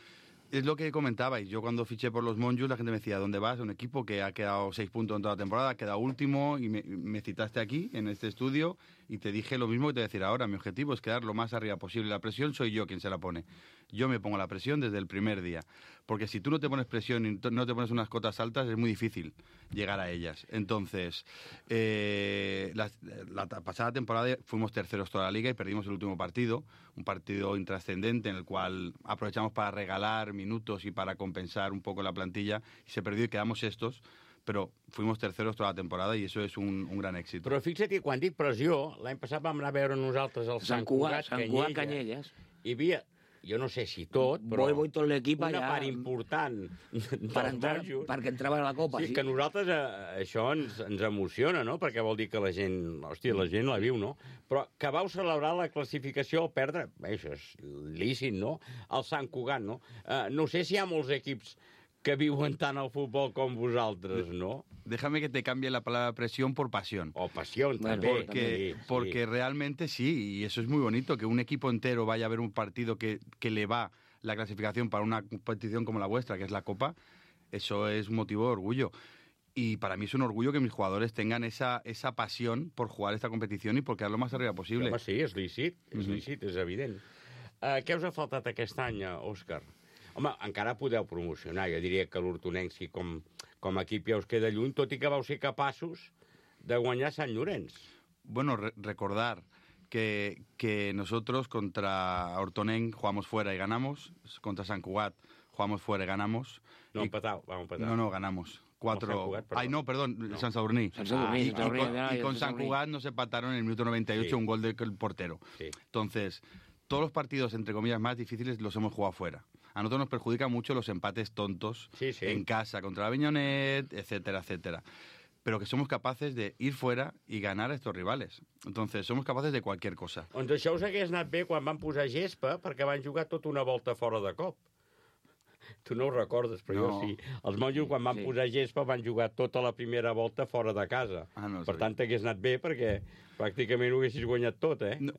es lo que comentabais. Yo cuando fiché por los Monjos, la gente me decía, ¿dónde vas? Un equipo que ha quedado seis puntos en toda la temporada, ha quedado último, y me, me citaste aquí, en este estudio, y te dije lo mismo que te voy a decir ahora. Mi objetivo es quedar lo más arriba posible. La presión soy yo quien se la pone. Yo me pongo la presión desde el primer día. Porque si tú no te pones presión y no te pones unas cotas altas, es muy difícil llegar a ellas. Entonces, eh, la, la pasada temporada fuimos terceros toda la liga y perdimos el último partido, un partido intrascendente en el cual aprovechamos para regalar minutos y para compensar un poco la plantilla, y se perdió y quedamos sextos, però fuimos terceros toda la temporada i això és un, un gran èxit. Però fixa't que quan dic pressió, l'any passat vam anar a veure nosaltres el Sant, Sant Cugat, Sant Cugat Canyelles. Hi havia, jo no sé si tot, però voy, voy tot l'equip una allà, part important per entrar, perquè entrava a la Copa. Sí, sí. que a nosaltres eh, això ens, ens emociona, no? Perquè vol dir que la gent, hòstia, la gent la viu, no? Però que vau celebrar la classificació al perdre, bé, això és lícit, no? El Sant Cugat, no? Eh, no sé si hi ha molts equips que viuen tant el futbol com vosaltres, ¿no? Déjame que te cambie la palabra presión por pasión. O pasión, bueno, también. Porque, sí, porque sí. realmente sí, y eso es muy bonito, que un equipo entero vaya a ver un partido que, que le va la clasificación para una competición como la vuestra, que es la Copa, eso es un motivo de orgullo. Y para mí es un orgullo que mis jugadores tengan esa, esa pasión por jugar esta competición y por quedar lo más arriba posible. Home, sí, és lícit, és mm-hmm. lícit, és evident. Uh, què us ha faltat aquest any, Òscar? Home, encara podeu promocionar. Jo diria que l'Hortonensi com, com a equip ja us queda lluny, tot i que vau ser capaços de guanyar Sant Llorenç. Bueno, re recordar que, que nosotros contra Hortonenc jugamos fuera y ganamos, contra Sant Cugat jugamos fuera y ganamos. No, y... empatado, vamos a empatar. No, no, ganamos. Cuatro... No, Cugat, Ay, no, perdón, no. Sant Sadurní. Sant Sadurní, ah, y, Sant Sadurní, y con, ya, y con Sant Cugat nos empataron en el minuto noventa y ocho, sí. Un gol del portero. Sí. Entonces, todos los partidos, entre comillas, más difíciles los hemos jugado fuera. A nosotros nos perjudican mucho los empates tontos sí, sí. en casa, contra la Aviñonet, etcétera, etcétera. Pero que somos capaces de ir fuera y ganar a estos rivales. Entonces, somos capaces de cualquier cosa. Doncs això us hagués anat bé quan van posar gespa, perquè van jugar tota una volta fora de cop. tu no ho recordes, però No. jo sí. Els monjos, quan van Sí. posar gespa, van jugar tota la primera volta fora de casa. Ah, no ho per sabia. tant, t'hagués anat bé perquè pràcticament ho haguessis guanyat tot, eh? No,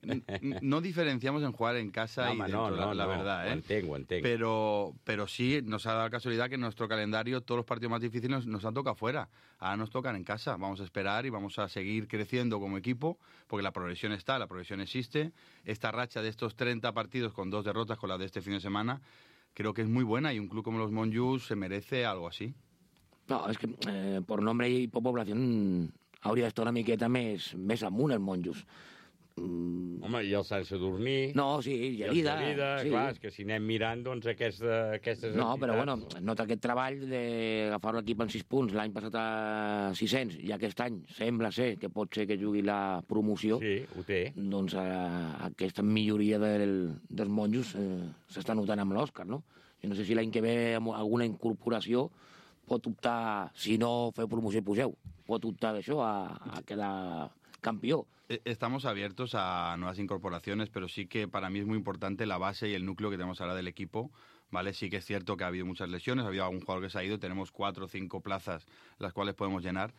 no diferenciamos en jugar en casa No, y home, dentro, no, la, no, la no, verdad, ¿eh? ho entenc, ho entenc. Pero, pero sí, nos ha dado la casualidad que en nuestro calendario todos los partidos más difíciles nos, nos han tocado fuera. Ahora nos tocan en casa. Vamos a esperar y vamos a seguir creciendo como equipo, porque la progresión está, la progresión existe. Esta racha de estos treinta partidos con dos derrotas, con la de este fin de semana, creo que es muy buena y un club como los Monjos se merece algo así. No, és que eh, per nombre i per població hauria d'estar una miqueta més, més amunt els monjos. Mm. Home, i el Sant Sadurní... No, sí, i el Gelida. Gelida, sí. clar, és que si anem mirant, doncs, aquesta, aquestes No, però bueno, entitats... nota aquest treball d'agafar l'equip en sis punts, l'any passat a sis-cents, i aquest any sembla ser que pot ser que jugui la promoció. Sí, ho té. Doncs eh, aquesta milloria del, dels monjos eh, s'està notant amb l'Òscar, no? Jo no sé si l'any que ve amb alguna incorporació pot optar, si no feu promoció i pugeu, pot optar d'això a, a quedar campeón. Estamos abiertos a nuevas incorporaciones, pero sí que para mí es muy importante la base y el núcleo que tenemos ahora del equipo, ¿vale? Sí que es cierto que ha habido muchas lesiones, ha habido algún jugador que se ha ido, tenemos cuatro o cinco plazas las cuales podemos llenar.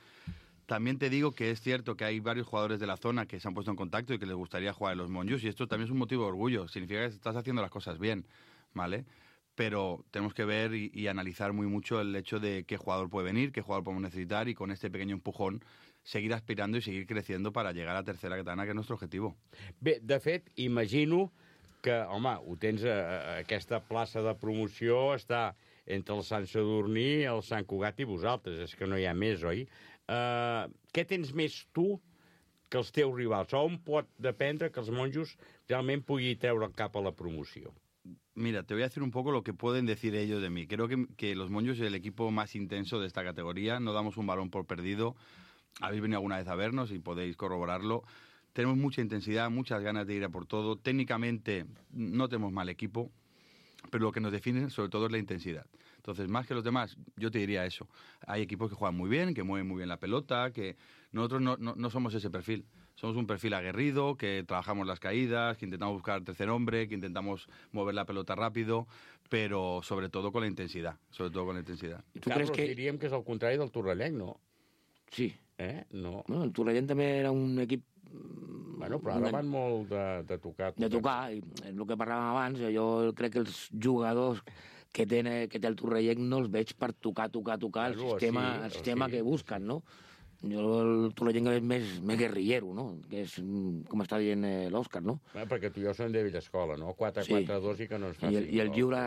También te digo que es cierto que hay varios jugadores de la zona que se han puesto en contacto y que les gustaría jugar en los Monjos, y esto también es un motivo de orgullo, significa que estás haciendo las cosas bien, ¿vale? Pero tenemos que ver y, y analizar muy mucho el hecho de qué jugador puede venir, qué jugador podemos necesitar, y con este pequeño empujón seguir aspirando y seguir creciendo para llegar a tercera catalana, que és el nostre objectiu. Bé, de fet, imagino que, home, ho tens, a, aquesta plaça de promoció està entre el Sant Sadurní, el Sant Cugat i vosaltres, és que no hi ha més, oi? Uh, què tens més tu que els teus rivals? On pot dependre que els monjos realment pugui treure el cap a la promoció? Mira, te voy a decir un poco lo que pueden decir ellos de mí. Creo que, que los Monjos es el equipo más intenso de esta categoría. No damos un balón por perdido. Habéis venido alguna vez a vernos y podéis corroborarlo. Tenemos mucha intensidad, muchas ganas de ir a por todo. Técnicamente no tenemos mal equipo, pero lo que nos define sobre todo es la intensidad. Entonces, más que los demás, yo te diría eso. Hay equipos que juegan muy bien, que mueven muy bien la pelota, que nosotros no, no, no somos ese perfil. Somos un perfil aguerrido, que trabajamos las caídas, que intentamos buscar el tercer hombre, que intentamos mover la pelota rápido, pero sobre todo con la intensidad. Sobre todo con la intensidad. Tu Carlos, que... diríem que és el contrari del Torrelleny, no? Sí. Eh? No. Bueno, el Torrelleny també era un equip... Bueno, però ara van molt de, de tocar. De tocar, i el que parlàvem abans, jo crec que els jugadors que té, que té el Torrelleny no els veig per tocar, tocar, tocar el Claro, sistema, sí, el sistema sí. que busquen, no? Jo el Torrelleny és més, més guerrillero, no? Que és, com està dient eh, l'Òscar, no? Bé, perquè tu i jo som de vella escola, no? quatre quatre dos sí. I que no ens faci. I el, i el lliure,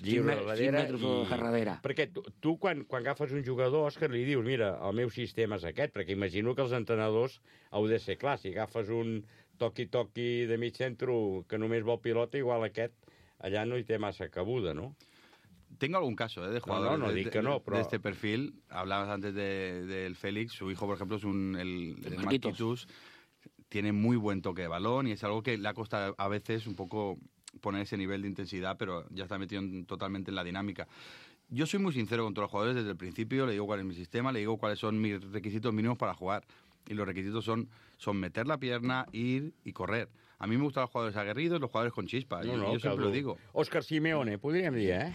lliure cinc metres i... a darrere. Perquè tu, tu quan, quan agafes un jugador, Òscar, li dius, mira, el meu sistema és aquest, perquè imagino que els entrenadors heu de ser clar. Si agafes un toqui-toqui de mig centre que només vol pilota, igual aquest allà no hi té massa cabuda, no? Tengo algún caso ¿eh? de jugadores no, no, no, de, dic que no, de, però... de este perfil. Hablabas antes del de, de Félix, su hijo, por ejemplo, es un, el, el Marquitos. Marquitos. Tiene muy buen toque de balón y es algo que le ha costado a veces un poco poner ese nivel de intensidad, pero ya está metido en, totalmente en la dinámica. Yo soy muy sincero con todos los jugadores desde el principio, le digo cuál es mi sistema, le digo cuáles son mis requisitos mínimos para jugar. Y los requisitos son, son meter la pierna, ir y correr. A mí me gustan los jugadores aguerridos, los jugadores con chispa. No, yo, no, yo siempre lo digo. Òscar Simeone, podríem dir, eh?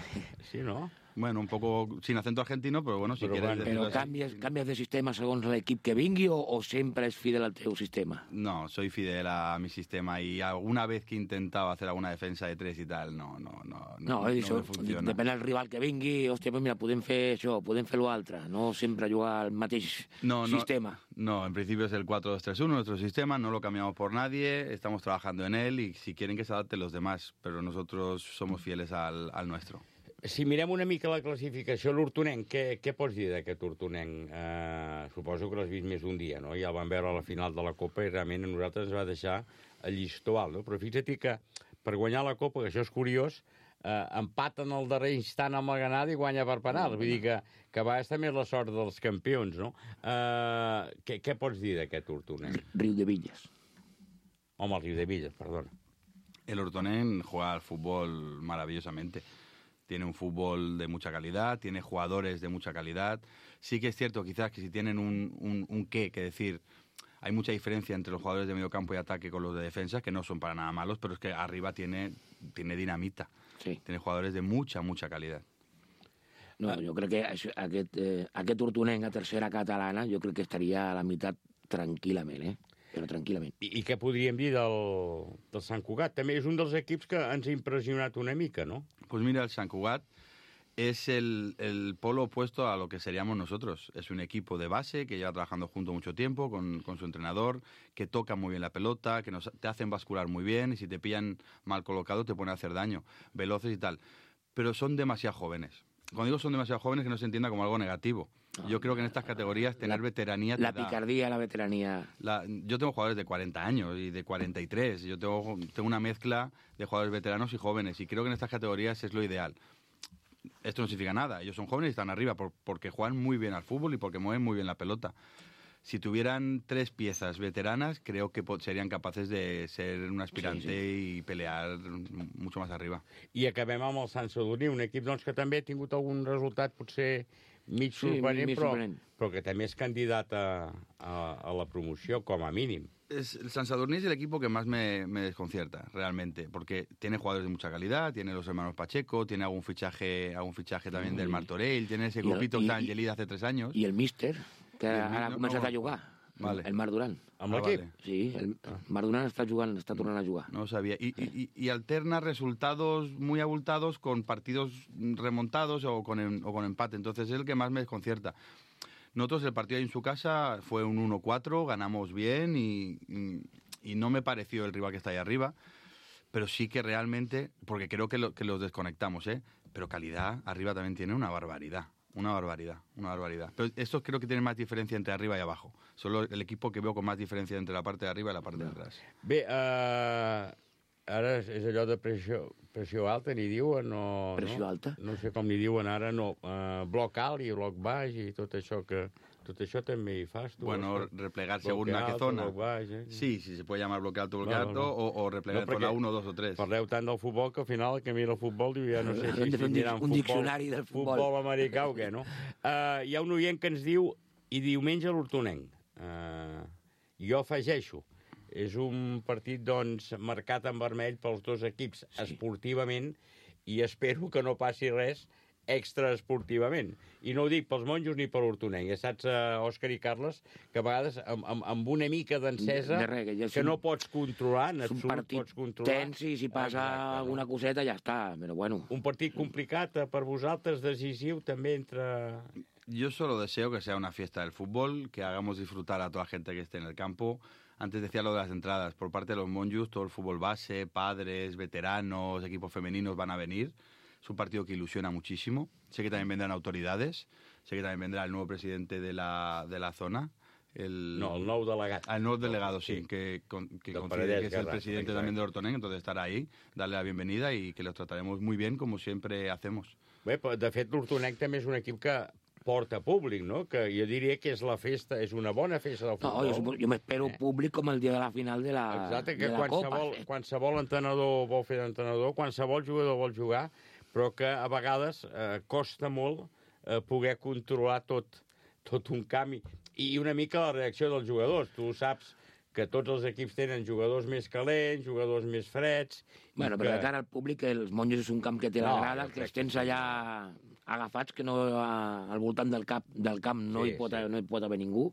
Sí, no? Bueno, un poco sin acento argentino, pero bueno, si Però quieres... bueno, decirlo Però así. canvies, canvies de sistema segons l'equip que vingui o, o sempre és fidel al teu sistema? No, soy fidel a mi sistema y alguna vez que he intentado hacer alguna defensa de tres y tal, no, no, no, No, no, no, no això, me funciona. depèn del rival que vingui, hòstia, pues mira, podem fer això, podem fer l'altre, no sempre jugar al mateix No, no, sistema. No, en principio es el cuatro dos tres uno, nuestro sistema, no lo cambiamos por nadie, estamos trabajando en él y si quieren que se adapten los demás, pero nosotros somos fieles al, al nuestro. Si mirem una mica la classificació, l'Hortonenc, què, què pots dir d'aquest Hortonenc? Eh, suposo que l'has vist més d'un dia, no? Ja el vam veure a la final de la Copa i realment a nosaltres ens va deixar el llistó alt, no? Però fixa't que per guanyar la Copa, que això és curiós, eh, empaten al darrer instant amb la Granada i guanya per penals. Vull dir que, que va estar més la sort dels campions, no? Eh, què, què pots dir d'aquest Hortonenc? Riu de Villas. Home, el Riu de Villas, perdona. El Hortonenc juega al fútbol maravillosamente. Tiene un fútbol de mucha calidad, tiene jugadores de mucha calidad. Sí que es cierto quizás que si tienen un, un, un qué que decir, hay mucha diferencia entre los jugadores de medio campo y ataque con los de defensa, que no son para nada malos, pero es que arriba tiene, tiene dinamita. Sí. Tiene jugadores de mucha, mucha calidad. No, jo crec que això, aquest, eh, aquest hortonenc a tercera catalana jo crec que estaria a la meitat tranquil·lament, eh? Però tranquil·lament. I, i què podríem dir del, del Sant Cugat? També és un dels equips que ens ha impressionat una mica, ¿no? Pues mira, el Sant Cugat es el, el polo opuesto a lo que seríamos nosotros. Es un equipo de base que lleva trabajando junto mucho tiempo con, con su entrenador, que toca muy bien la pelota, que nos, te hacen bascular muy bien y si te pillan mal colocado te pueden hacer daño, veloces y tal. Pero son demasiado jóvenes. Cuando digo son demasiado jóvenes, que no se entienda como algo negativo. No, yo creo que en estas categorías tener la, veteranía... Te la da, picardía, la veteranía... La, yo tengo jugadores de cuarenta años y de cuarenta y tres. Yo tengo, tengo una mezcla de jugadores veteranos y jóvenes y creo que en estas categorías es lo ideal. Esto no significa nada. Ellos son jóvenes y están arriba por, porque juegan muy bien al fútbol y porque mueven muy bien la pelota. Si tuvieran tres piezas veteranas, creo que serían capaces de ser un aspirante sí, sí. i pelear mucho más arriba. I acabem amb el Sant Sadurní, un equip doncs, que també ha tingut algun resultat potser mig sí, sorprenent, mig però, sorprenent, però que també és candidat a, a, a la promoció, com a mínim. Es, el San Sadurní es el equipo que más me, me desconcierta, realmente, porque tiene jugadores de mucha calidad, tiene los hermanos Pacheco, tiene algún fichaje algún fichaje también mm. del Martorell, tiene ese grupito que está en Gelida hace tres años. Y el míster, que ara ha començat no, a jugar, vale. el Marc Duran. Amb l'equip? Ah, vale. Sí, el Marc Duran està jugant, està tornant a jugar. No lo sabía. Y, y, y alterna resultados muy abultados con partidos remontados o con, o con empate, entonces es el que más me desconcierta. Nosotros el partido ahí en su casa fue un uno cuatro, ganamos bien y, y, y no me pareció el rival que está ahí arriba, pero sí que realmente, porque creo que, lo, que los desconectamos, ¿eh? Pero calidad arriba también tiene una barbaridad, una barbaridad, una barbaridad. Pero estos creo que tienen más diferencia entre arriba y abajo. Solo el equipo que veo con más diferencia entre la parte de arriba y la parte de atrás. Bé, uh, ara és allò de pressió, pressió alta, n'hi diuen, o... Pressió no? alta? No sé com n'hi diuen ara, no. Uh, bloc alt i bloc baix i tot això que... Tot això també hi fas, tu. Bueno, o replegar según a qué zona. Baix, eh? Sí, sí, se puede llamar bloque alto, bloque no, alto, no, no. O, o replegar no, zona uno, dos o tres. Parleu tant del futbol que al final el que mira el futbol diu, ja no sé si, si un, un futbol, diccionari del futbol. Futbol americà o què, no? Uh, hi ha un oient que ens diu, i diumenge l'Hortonenc. Uh, jo afegeixo, és un partit, doncs, marcat en vermell pels dos equips sí. esportivament i espero que no passi res extraesportivament. I no ho dic pels monjos ni per l'Hortonenc. Ja saps, uh, Òscar i Carles, que a vegades amb, amb, amb una mica d'encesa de res, que, ja que no pots controlar, en absolut un partit pots controlar. Tens i si passa exacte, alguna coseta ja està, però bueno. Un partit complicat per vosaltres, decisiu també entre... Yo solo deseo que sea una fiesta del fútbol, que hagamos disfrutar a toda la gente que esté en el campo. Antes decía lo de las entradas. Por parte de los monjos, todo el fútbol base, padres, veteranos, equipos femeninos van a venir. Es un partido que ilusiona muchísimo. Sé que también vendrán autoridades. Sé que también vendrá el nuevo presidente de la, de la zona. El, no, el nou delegat. El nou delegado, sí, sí que, que considera que es el presidente exacte. También de Hortonenc, entonces estará ahí, darle la bienvenida y que los trataremos muy bien, como siempre hacemos. Bé, de fet, l'Hortonenc també és un equip que porta públic, no? Que jo diria que és la festa, és una bona festa del futbol. No, jo, jo m'espero eh. públic com el dia de la final de la, exacte, que de la qualsevol, Copa. Qualsevol entrenador vol fer d'entrenador, qualsevol jugador vol jugar, però que a vegades eh, costa molt eh, poder controlar tot, tot un canvi. I una mica la reacció dels jugadors. Tu saps que tots els equips tenen jugadors més calents, jugadors més freds... Bueno, però que... de cara al públic, els monjos és un camp que té la no, grada, que els tens allà agafats, que no al voltant del, cap, del camp no, sí, hi pot, sí. no hi pot haver ningú.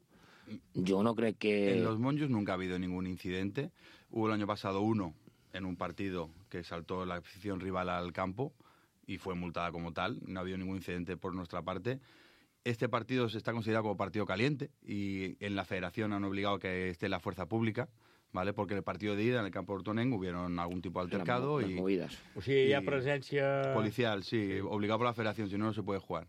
Jo no crec que... En los monjos nunca ha habido ningún incidente. Hubo el año pasado uno en un partido que saltó la afición rival al campo y fue multada como tal. No ha habido ningún incidente por nuestra parte. Este partido se está considerado como partido caliente y en la federación han obligado que esté la fuerza pública, ¿vale? Porque en el partido de ida en el campo de Hortonenc hubieron algún tipo de altercado las, y... las movidas. O sigui, hi ha presència... Policial, sí, sí, obligado por la federación, si no, no se puede jugar.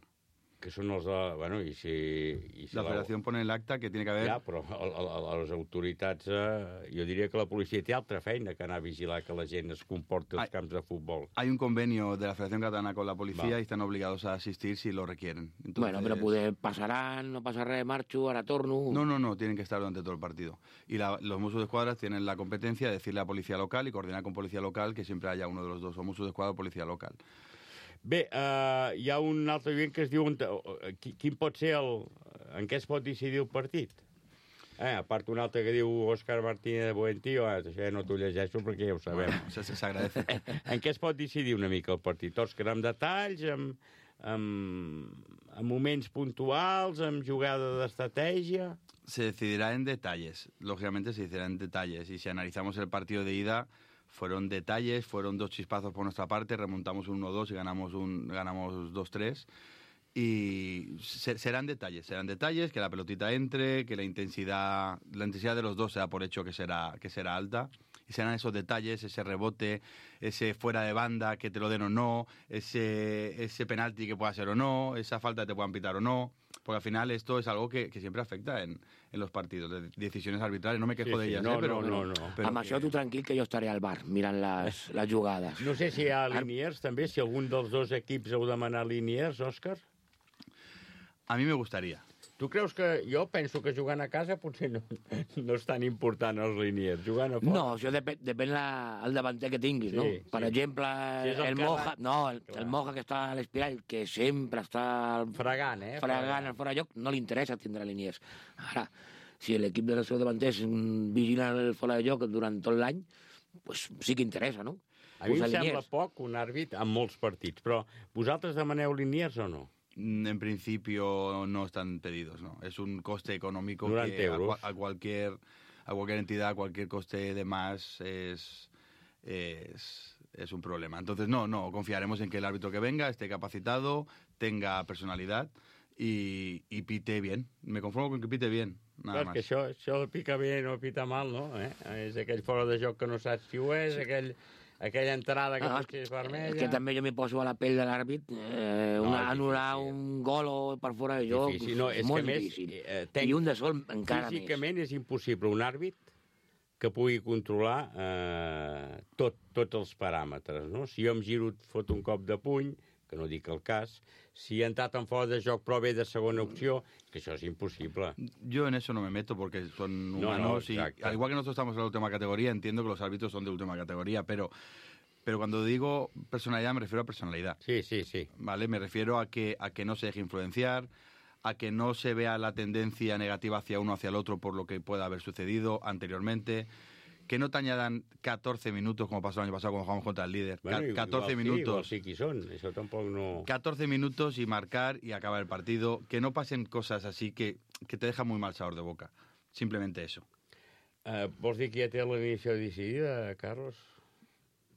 Que són els de... Bueno, i si... I si la federació pone el acta que tiene que haver... Ja, però a, a, a les autoritats... Eh, jo diria que la policia té altra feina que anar a vigilar que la gent es comporti als camps de futbol. Hay un convenio de la Federación Catalana con la policía Va. y están obligados a asistir si lo requieren. Entonces... Bueno, pero poder pasarán, no pasa res, marcho, ahora torno... No, no, no, tienen que estar durante todo el partido. Y la, los Mossos d'Esquadra tienen la competencia de decirle a policía local y coordinar con policía local que siempre haya uno de los dos, o Mossos d'Esquadra o policía local. Bé, uh, hi ha un altre oient que es diu... Quin pot ser el... En què es pot decidir el partit? Eh, a part un altre que diu Òscar Martínez de Buentío, eh, això ja no t'ho llegeixo perquè ja ho sabem. Bueno, s'agradece. En què es pot decidir una mica el partit? Òscar, amb detalls, amb, amb, amb moments puntuals, amb jugada d'estratègia? Se decidirá en detalles, lógicamente se decidirá en detalles. Y si analizamos el partido de ida, fueron detalles, fueron dos chispazos por nuestra parte, remontamos un uno dos y ganamos, un, ganamos dos tres. Y se, serán detalles, serán detalles, que la pelotita entre, que la intensidad, la intensidad de los dos se da por hecho que será, que será alta. Y serán esos detalles, ese rebote, ese fuera de banda que te lo den o no, ese, ese penalti que pueda ser o no, esa falta que te puedan pitar o no. Porque al final esto es algo que, que siempre afecta en, en los partidos, de decisiones arbitrales. No me quejo Sí, de sí, ellas, no, eh, pero, no, no, no. pero Amb això tu tranquil, que jo estaré al bar mirant les, les jugades. No sé si hi ha Liniers, també, si algun dels dos equips heu demanat Liniers, Òscar. A mi me gustaría. Tu creus que... Jo penso que jugant a casa potser no, no és tan important els Liniers. Jugant a fora... No, això depèn, depèn la, el davanter que tinguis, Sí, no? sí. Per exemple, Si és el el Carles- Moja... No, el, Clar. el Moja que està a l'Espiral, que sempre està... Fregant, eh? Fregant el fora de lloc, no li interessa tindre Liniers. Ara, si l'equip de les seus davanters mm, vigila el fora de lloc durant tot l'any, pues sí que interessa, no? A mi em Posar sembla Liniers. poc un àrbit en molts partits, però vosaltres demaneu Liniers o no? En principio no están pedidos, ¿no? Es un coste económico Durante que a, euros. cua- a cualquier a cualquier entidad, cualquier coste de más es, es, es un problema. Entonces, no, no, confiaremos en que el árbitro que venga esté capacitado, tenga personalidad y, y pite bien. Me conformo con que pite bien, nada Clar, más. que això, això pica bé no pica mal, no? Eh? És aquell fora de joc que no saps si ho és, aquell, aquella entrada que Ah, potser és vermella... És que també jo m'hi poso a la pell de l'àrbit, eh, No, una, és anul·lar un gol o per fora de joc, Difícil, no, és és molt que a més, difícil. eh, I un de sol encara més. Físicament és impossible un àrbit que pugui controlar eh, tot, tots els paràmetres, no? Si jo em giro, et foto un cop de puny, que no dic el cas, si he entrat en fora de joc però ve de segona opció, que això és impossible. Yo en eso no me meto porque son No, no, humanos y exacto. al igual que nosotros estamos en la última categoría, entiendo que los árbitros son de última categoría, pero pero cuando digo personalidad me refiero a personalidad. Sí, sí, sí. Vale, me refiero a que a que no se deje influenciar, a que no se vea la tendencia negativa hacia uno hacia el otro por lo que pueda haber sucedido anteriormente. Que no te añadan catorce minutos, como pasó el año pasado cuando jugamos contra el líder. Bueno, Ca- igual catorce sí, minutos. igual sí que són, això tampoc no... catorce minutos y marcar y acabar el partido. Que no pasen cosas así que, que te dejan muy mal sabor de boca. Simplemente eso. Eh, vols dir que ja té l'inició decidida, Carlos?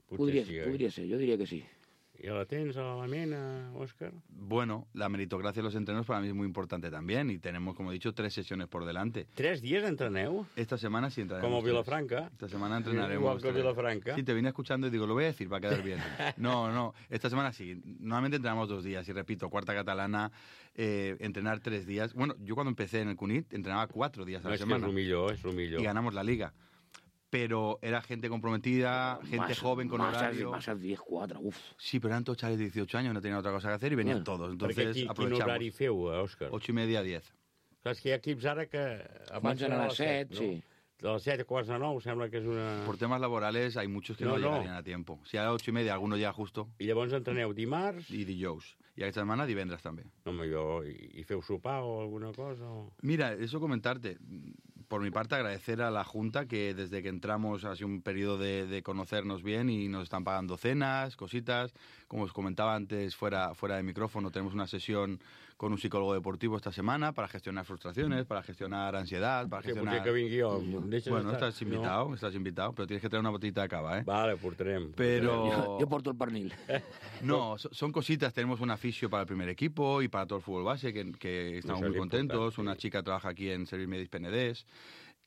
Potser Podria, sí, oi? podria ser, jo diria que sí. I la tens a la mena, Òscar? Bueno, la meritocracia de los entrenos para mí es muy importante también y tenemos, como he dicho, tres sesiones por delante. ¿Tres días entreneu? Esta semana sí entrenaremos. Como tres. Vilafranca. Esta semana entrenaremos. Igual que tres. Vilafranca. Sí, te vine escuchando y digo, lo voy a decir para quedar bien. No, no, esta semana sí. Normalmente entrenamos dos días y repito, cuarta catalana, eh, entrenar tres días. Bueno, yo cuando empecé en el Cunit entrenaba cuatro días a No, la és que semana. és el millor, és el millor. Y ganamos la liga. Pero era gente comprometida, gente Massa- joven con massa- horario. Massa diez quatre, uf. Sí, pero eran todos chavales de dieciocho años, no tenían otra cosa que hacer y venían Bueno, todos. perquè Entonces qui- quin aprovechamos. horari feu, eh, Òscar? Ocho y media, diez. Clar, és que hi ha equips ara que abans Comencen a eren les set, no? sí. De les set a quarts de nou sembla que és una... Por temas laborales hay muchos que no, No, no. llegarían a tiempo. Si a las ocho y media alguno llega justo. I llavors entreneu dimarts? I dijous. I aquesta setmana divendres també. Home, jo... I, i feu sopar o alguna cosa? O... Mira, eso comentarte. Por mi parte, agradecer a la Junta que desde que entramos ha sido un periodo de, de conocernos bien y nos están pagando cenas, cositas. Como os comentaba antes, fuera, fuera de micrófono, tenemos una sesión con un psicólogo deportivo esta semana para gestionar frustraciones, para gestionar ansiedad, para Que gestionar... potser que vingui jo. Em deixes Bueno, estar? estás invitado, estás invitado, pero tienes que traer una botellita de cava, ¿eh? Vale, portarem. Pero... Jo, jo porto el pernil. No, so- son cositas. Tenemos un aficio para el primer equipo y para todo el fútbol base, que, que estamos Eso es muy contentos. importante, Una chica trabaja aquí en Servir Medis Penedés.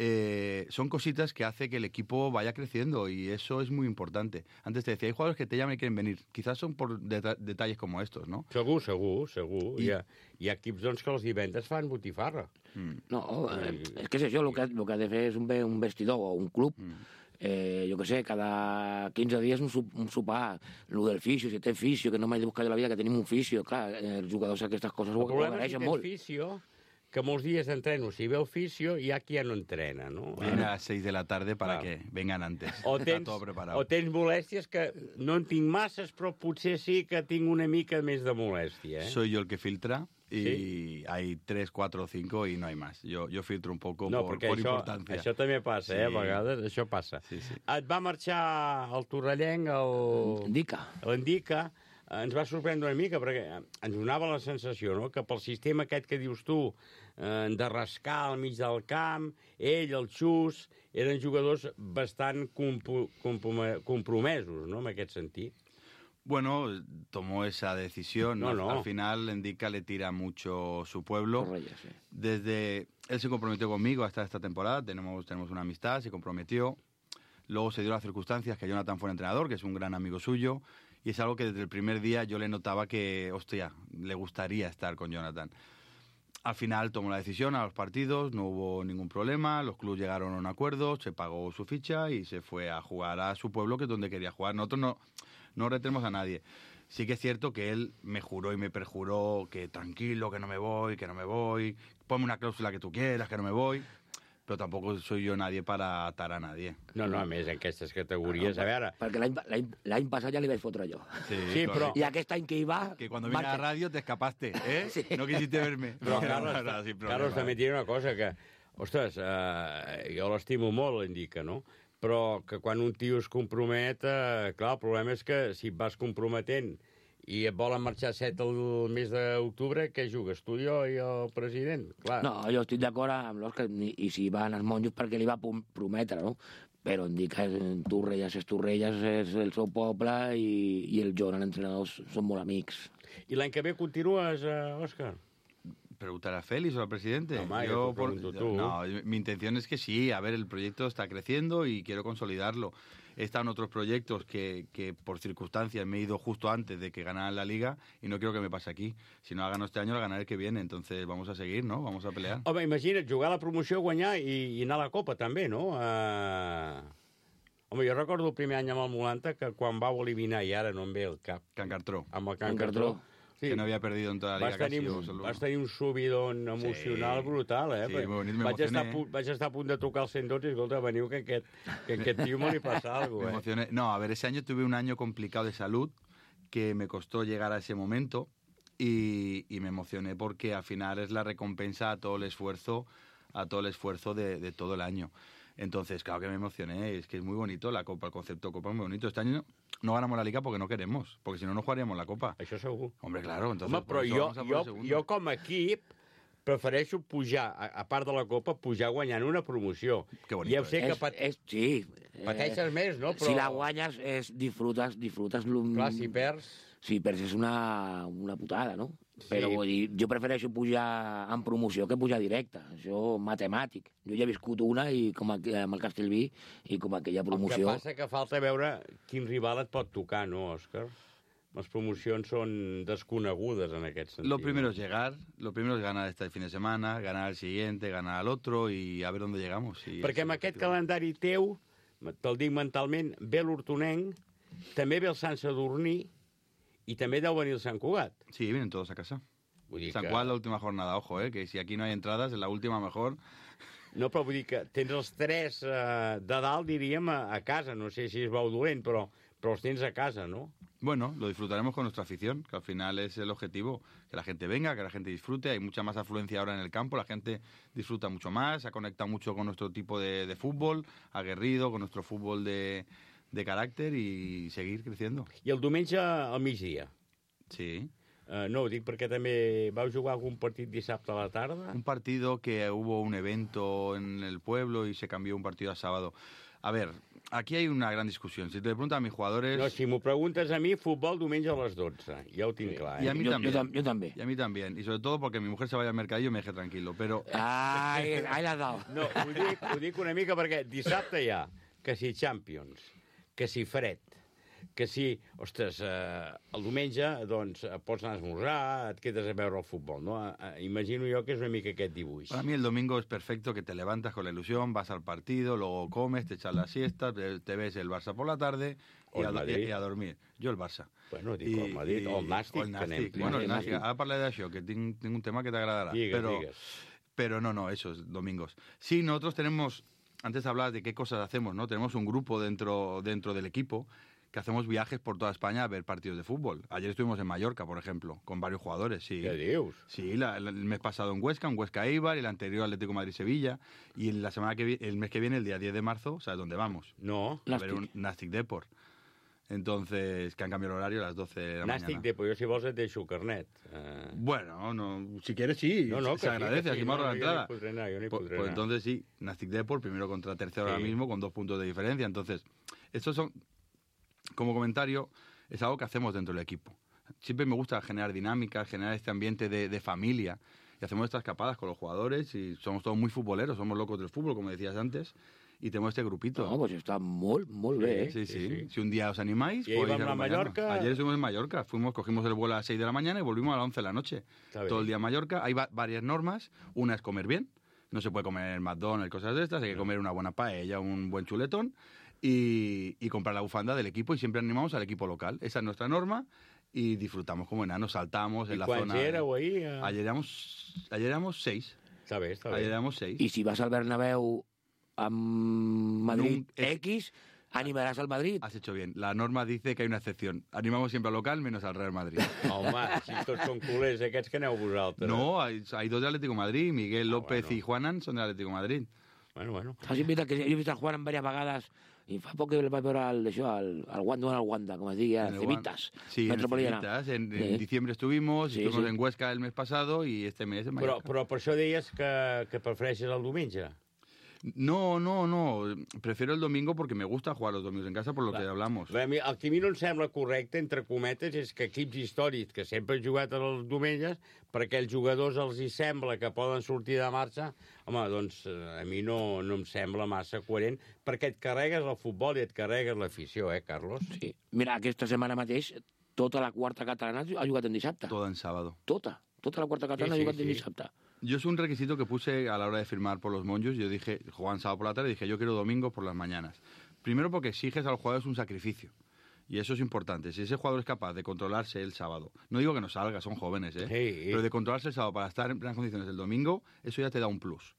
Eh, son cositas que hace que el equipo vaya creciendo y eso es muy importante. Antes te decía, hay jugadores que te llaman y quieren venir. Quizás son por deta- detalles como estos, ¿no? Segur, segur, segur. I- Hi, ha, hi ha equips doncs, que els divendres fan botifarra. No, eh, és que és això, el que, el que ha de fer és un, ve- un vestidor o un club, eh, jo què sé, cada quinze dies un, sup, un sopar, el del fisio, si té fisio, que no m'he de buscar de la vida, que tenim un fisio, clar, eh, els jugadors aquestes coses ho, El ho problema és que agraeixen tens molt. fisio, que molts dies entreno, si ve el fisio, hi ha qui ja no entrena, no? Viene a las seis de la tarde para Claro. que vengan antes. O Está tens, todo preparado. o tens molèsties que no en tinc masses, però potser sí que tinc una mica més de molèstia, eh? Soy yo el que filtra y Sí. hay tres, cuatro, cinco y no hay más. Yo, yo filtro un poco No, por, perquè por això, importancia. això també passa, eh? A Sí. vegades això passa. Sí, sí. Et va marxar el torrellenc, el... Indica. L'Indica. ens va sorprendre una mica, perquè ens donava la sensació, no?, que pel sistema aquest que dius tu, eh, de rascar al mig del camp, ell, el Xus, eren jugadors bastant compo compromesos, no?, en aquest sentit. Bueno, tomó esa decisión, ¿no? No, no. Al final, Endica le tira mucho su pueblo. Correcto, sí. Desde él se comprometió conmigo hasta esta temporada, tenemos, tenemos una amistad, se comprometió. Luego se dio las circunstancias que Jonathan fue el entrenador, que es un gran amigo suyo, y es algo que desde el primer día yo le notaba que, hostia, le gustaría estar con Jonathan. Al final tomó la decisión a los partidos, no hubo ningún problema, los clubes llegaron a un acuerdo, se pagó su ficha y se fue a jugar a su pueblo, que es donde quería jugar. Nosotros no, no retenemos a nadie. Sí que es cierto que él me juró y me perjuró que tranquilo, que no me voy, que no me voy, ponme una cláusula que tú quieras, que no me voy, però tampoc soy jo nadie para atar a nadie. No, no, a més, en aquestes categories, no, a veure... Perquè l'any passat ja li vaig fotre jo. Sí, sí, però... I aquest any que hi va... Que cuando vine a la radio te escapaste, ¿eh? Sí. No quisiste verme. Però, no, Carlos, no, no, sin Carlos, també et diré una cosa, que, ostres, eh, jo l'estimo molt, Endica, no?, però que quan un tio es compromet, eh, clar, el problema és que si et vas comprometent i et volen marxar set el mes d'octubre, què jugues, tu, jo i el president? Clar. No, jo estic d'acord amb l'Òscar, i si van els monjos perquè li va prometre, no? Però em dic que Torrelles és Torrelles, és el seu poble, i, i el Joan, l'entrenador, són molt amics. I l'any que ve continues, eh, Òscar? Preguntar a Félix o al presidente. No, ma, yo yo te pregunto por... tú. No, mi intención es que sí. A ver, el proyecto está creciendo y quiero consolidarlo. He estado en otros proyectos que, que por circunstancias me he ido justo antes de que ganaran la Liga y no quiero que me pase aquí. Si no la gano este año, la ganaré el que viene. Entonces vamos a seguir, ¿no? Vamos a pelear. Home, imagina't, jugar a la promoció, guanyar i, i anar a la Copa, també, no? Uh... Home, jo recordo el primer any amb el Molanta que quan vau eliminar, i ara no em ve el cap... Can Cartró. Amb el Can Cartró. Sí. Que no havia perdido en tota la Liga. Vas tenir, casi, vas tenir un subidon emocional sí. brutal, eh? Sí, bonito, me vaig, estar punt, vaig estar a punt de tocar el cent dotze i, escolta, veniu que aquest, que aquest tio me li passa alguna cosa, eh? No, a ver, ese año tuve un año complicado de salud que me costó llegar a ese momento y, y me emocioné porque al final es la recompensa a todo el esfuerzo, a todo el esfuerzo de, de todo el año. Entonces, claro que me emocioné, es que es muy bonito la Copa, el concepto Copa es muy bonito. Este año no ganamos la Liga porque no queremos, porque si no, no jugaríamos la Copa. Això segur. Hombre, claro, entonces... Home, però jo, jo, jo com a equip prefereixo pujar, a, a part de la Copa, pujar guanyant una promoció. Que bonito, ja ho sé és, que pat... és, sí. pateixes eh, més, no? Però... Si la guanyes, és, disfrutes, disfrutes... Clar, si perds... Si perds és una, una putada, no? Sí. Però vull dir, jo prefereixo pujar en promoció que pujar directe. Això matemàtic. Jo ja he viscut una i com a, amb el Castellví i com aquella promoció... El que passa que falta veure quin rival et pot tocar, no, Òscar? Les promocions són desconegudes en aquest sentit. Lo primero es llegar, lo primero es ganar este fin de semana, ganar el siguiente, ganar al otro y a ver dónde llegamos. Y perquè amb aquest calendari teu, te'l dic mentalment, ve l'Hortonenc, també ve el Sant Sadurní, y también deu venir el Sant Cugat. Sí, vienen todos a casa. San que... Cugat la última jornada, ojo, eh, que si aquí no hay entradas, en la última mejor... No, però vull dir que tens els tres eh, de dalt, diríem, a, a casa. No sé si es veu dolent, però, però els tens a casa, ¿no? Bueno, lo disfrutaremos con nuestra afición, que al final es el objetivo, que la gente venga, que la gente disfrute. Hay mucha más afluencia ahora en el campo, la gente disfruta mucho más, se conecta mucho con nuestro tipo de, de fútbol, aguerrido, con nuestro fútbol de... de caràcter i seguir creciendo. I el diumenge al migdia? Sí. Uh, no, ho dic perquè també vau jugar algun partit dissabte a la tarda. Un partido que hubo un evento en el pueblo y se cambió un partido a sábado. A ver, aquí hay una gran discusión. Si te preguntan a mis jugadores... No, si m'ho preguntes a mi, futbol diumenge a les dotze. Ja ho tinc clar, eh? Y a mí yo, también. Yo, yo también. Y a mí también. Y sobre todo porque mi mujer se vaya al mercadillo y me deje tranquilo, pero... Ai, ai l'has dado. No, ho dic, ho dic una mica perquè dissabte hi ha que si Champions, que si fred, que si, ostres, eh, el diumenge, doncs, pots anar a esmorzar, et quedes a veure el futbol, no? Eh, imagino jo que és una mica aquest dibuix. Para mí el domingo es perfecto, que te levantas con la ilusión, vas al partido, luego comes, te echas la siesta, te, te ves el Barça por la tarde y a, y, y a dormir. Jo el Barça. Bueno, dic I, el Madrid, o el Nàstic, el Nàstic. Que anem. Bueno, el Nàstic. Ara parlaré d'això, que tinc, tinc un tema que te agradará. Digues, pero, digues. Pero no, no, esos domingos. Sí, nosotros tenemos... Antes hablabas de qué cosas hacemos, ¿no? Tenemos un grupo dentro, dentro del equipo que hacemos viajes por toda España a ver partidos de fútbol. Ayer estuvimos en Mallorca, por ejemplo, con varios jugadores, sí. ¿Qué dios? Sí, la, la, el mes pasado en Huesca, en Huesca Eibar, el anterior Atlético Madrid-Sevilla, y la semana que el mes que viene, el día diez de marzo, ¿sabes dónde vamos? No. A ver un Nàstic Depor. Entonces, que han cambiado el horario a las doce de la Nàstic mañana. Depor, jo si vols et deixo carnet. Uh... Bueno, no, si quieres sí, no, no, se agradece, sí, aquí sí, me ahorro no, la entrada. Yo ni podré anar, yo ni pues, podré pues anar. entonces sí, Nàstic Depor, primero contra tercero Sí. ahora mismo, con dos puntos de diferencia. Entonces, estos son, como comentario, es algo que hacemos dentro del equipo. Siempre me gusta generar dinámicas, generar este ambiente de, de familia. Y hacemos estas escapadas con los jugadores y somos todos muy futboleros, somos locos del fútbol, como decías antes. Y tenemos este grupito. No, pues està molt, molt bé, eh? Sí, sí, sí. Si un día os animáis, Y ahí podéis vamos a acompañarnos. Mallorca. Ayer estuvimos en Mallorca, fuimos, cogimos el vuelo a las seis de la mañana y volvimos a las once de la noche. Está bien. Todo el día en Mallorca. Hay va- varias normas. Una es comer bien. No se puede comer en McDonald's, cosas de estas. Hay que comer una buena paella, un buen chuletón. Y, y comprar la bufanda del equipo. Y siempre animamos al equipo local. Esa es nuestra norma. Y disfrutamos como enanos, saltamos en I la quants zona. éreu ahir? Eh? Ayer éramos, ayer éramos seis. Està bé, està bé. Ayer éramos seis. I si vas al Bernabéu amb Madrid No, es- X, animaràs al Madrid. Has hecho bien. La norma dice que hay una excepción. Animamos siempre al local menos al Real Madrid. Home, si tots són culers, aquests que aneu vosaltres. No, hay, hay dos de Atlético de Madrid. Miguel López bueno. y Juanan son de Atlético de Madrid. Bueno, bueno. Saps, veritat que jo he vist el Juan diverses vegades i fa poc que el vaig veure al, això, al, al Wanda, al Wanda, com es digui, a En el Cevitas, Wan- Sí, en el Metropolitana. Civitas. En, en Sí. diciembre estuvimos, Sí, estuvimos sí. en Huesca el mes pasado y este mes en Però, Mallorca. però per això deies que, que prefereixes el diumenge. No, no, no. Prefiero el domingo porque me gusta jugar los domingos en casa por lo que hablamos. Bé, a mi- el que a mi no em sembla correcte, entre cometes, és que equips històrics que sempre han jugat els diumenges, per aquells jugadors els hi sembla que poden sortir de marxa, home, doncs eh, a mi no, no em sembla massa coherent, perquè et carregues el futbol i et carregues l'afició, eh, Carlos? Sí. Mira, aquesta setmana mateix tota la quarta catalana ha jugat en dissabte. Todo en sábado. Tota. Tota la quarta catalana Sí, ha jugat sí, en sí. dissabte. Yo es un requisito que puse a la hora de firmar por los Monjos. Yo dije, jugaban sábado por la tarde, dije, yo quiero domingo por las mañanas. Primero porque exiges a los jugadores un sacrificio. Y eso es importante. Si ese jugador es capaz de controlarse el sábado, no digo que no salga, son jóvenes, ¿eh? Sí. Pero de controlarse el sábado para estar en plenas condiciones el domingo, eso ya te da un plus.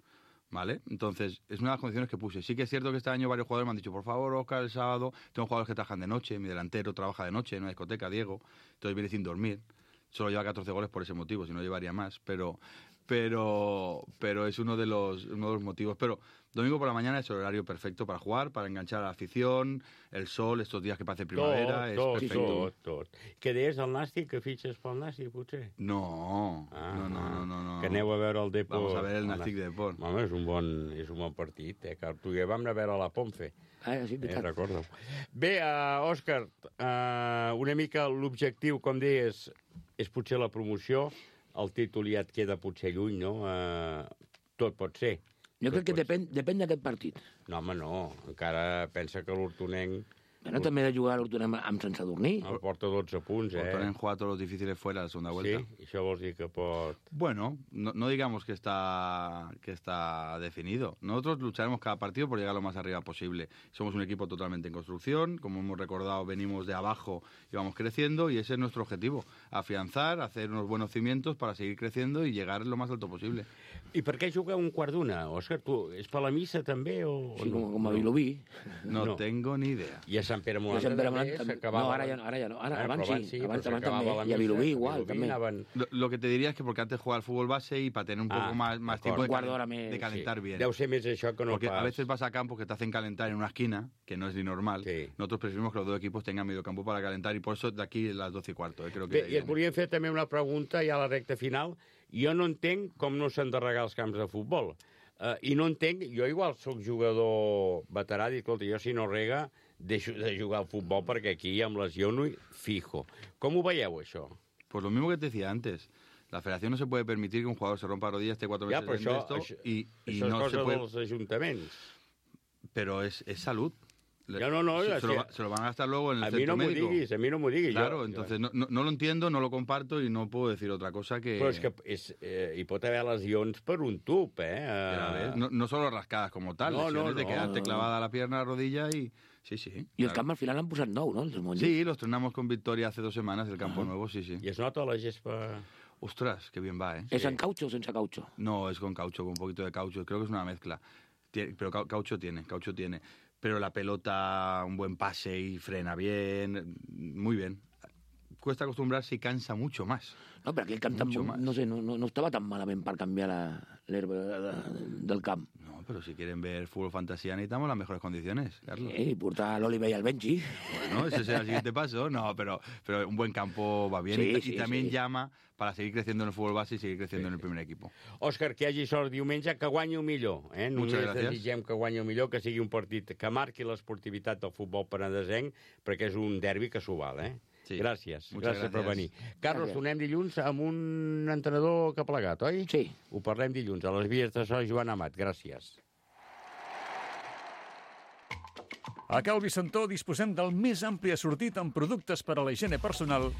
¿Vale? Entonces, es una de las condiciones que puse. Sí que es cierto que este año varios jugadores me han dicho, por favor, Óscar, el sábado, tengo jugadores que trabajan de noche, mi delantero trabaja de noche en una discoteca, Diego, entonces viene sin dormir. Solo lleva catorce goles por ese motivo, si no llevaría más, pero pero pero es uno de los uno de los motivos. Pero domingo por la mañana es el horario perfecto para jugar, para enganchar a la afición, el sol, estos días que parece primavera, tot, es tot, perfecto. tot, tot. Què deies del Nàstic, que fitxes pel Nàstic, potser? No, Ah, no, no, no, no, no. Que aneu a veure el Depor. Vamos a ver el Nàstic Depor. Home, és un bon, és un bon partit, eh? Que tu i jo vam anar a veure la Ponfe. Ah, sí, eh, veritat. recordo. Bé, uh, Òscar, uh, una mica l'objectiu, com deies, és potser la promoció, el títol ja et queda potser lluny, no? Uh, tot pot ser. Jo crec que depèn, depèn d'aquest partit. No, home, no. Encara pensa que l'Hortonenc... Bueno, també ha de jugar l'Hortonem amb sense dormir. El porta dotze punts, eh? Ponen jugar todos los difíciles fuera de la segunda vuelta. Sí, això vols dir que pot... Bueno, no, no digamos que está, que está definido. Nosotros lucharemos cada partido por llegar lo más arriba posible. Somos un equipo totalmente en construcción, como hemos recordado, venimos de abajo y vamos creciendo, y ese es nuestro objetivo, afianzar, hacer unos buenos cimientos para seguir creciendo y llegar lo más alto posible. I per què jugar un quart d'una, Òscar? Tu, és per la missa, també? O, Sí, o no? com, com a Vilobí. No, no tengo ni idea. I a Sant Pere Molant I a Sant Pere també Molant també. s'acabava... No, ara ja no, ara ja no. Ara, Ah, abans però sí, però abans- abans s'acabava també. la I a missa, Vilobí a igual, Vilobí també. anaven- Lo, lo que te diría es que porque antes jugaba al fútbol base y para tener un poco Ah, más, más d'acord. tiempo de, Un quart calen- d'hora més, de calentar sí. bien. Deu ser més això que no Porque pas. a veces vas a campos que te hacen calentar en una esquina, que no es ni normal. Nosotros preferimos que los dos equipos tengan medio campo para calentar y por eso de aquí las doce y cuarto. Eh, creo que Bé, i et volíem fer també una pregunta ja a la recta final. Jo no entenc com no s'han de regar els camps de futbol. Uh, I no entenc, jo igual sóc jugador veterà, dic, escolta, jo si no rega deixo de jugar al futbol perquè aquí em lesiono i fijo. Com ho veieu, això? Pues lo mismo que te decía antes. La federación no se puede permitir que un jugador se rompa la rodilla, esté cuatro Ja, meses però en això, esto això, y, y això és no cosa se puede... dels ajuntaments. Pero es, es salud. Le- No, no, no, se, es se lo, que- va- se lo van a gastar luego en el A mi centro no m'ho médico. diguis, a mi no m'ho diguis. Claro, jo, entonces no, no, no lo entiendo, no lo comparto y no puedo decir otra cosa que... Però és que és, eh, hi pot haver lesions per un tub, eh? Ya ves, Uh, no, no solo rascadas como tal, No, no, lesiones de no. quedarte clavada la pierna, la rodilla y... Sí, sí. I el claro. camp al final l'han posat nou, no? Els monjos. Sí, los estrenamos con victoria hace dos semanas, el campo nuevo, sí, sí. I es nota la gespa... Ostras, qué bien va, ¿eh? ¿Es en caucho o sense caucho? No, es con caucho, con un poquito de caucho. Creo que es una mezcla. Tiene- pero cau- caucho tiene, caucho tiene. Pero la pelota, un buen pase y frena bien, muy bien. Cuesta acostumbrarse y cansa mucho más. No, però aquell camp Mucho tampoc, más. no sé, no, no, no estava tan malament per canviar la- l'herba de, de, del camp. No, No, pero si quieren ver fútbol fantasía necesitamos las mejores condiciones, Carlos. Sí, portar al Oliver y al Benji. Bueno, ese será el siguiente paso. No, pero, pero un buen campo va bien. Sí, y, sí, y también sí. llama para seguir creciendo en el fútbol base y seguir creciendo sí, en el primer equipo. Òscar, que hi hagi sort diumenge, que guanyi el millor. Eh? Només desitgem que guanyi el millor, que sigui un partit que marqui l'esportivitat del futbol penedesenc, perquè és un derbi que s'ho val, eh? Sí. Gràcies, Muchas gràcies per venir. gracias. Carlos, Gràcies. tornem dilluns amb un entrenador que ha plegat, oi? Sí. Ho parlem dilluns, a les vies de so, Joan Amat. Gràcies. A Cal Vicentó disposem del més ampli assortit en productes per a la higiene personal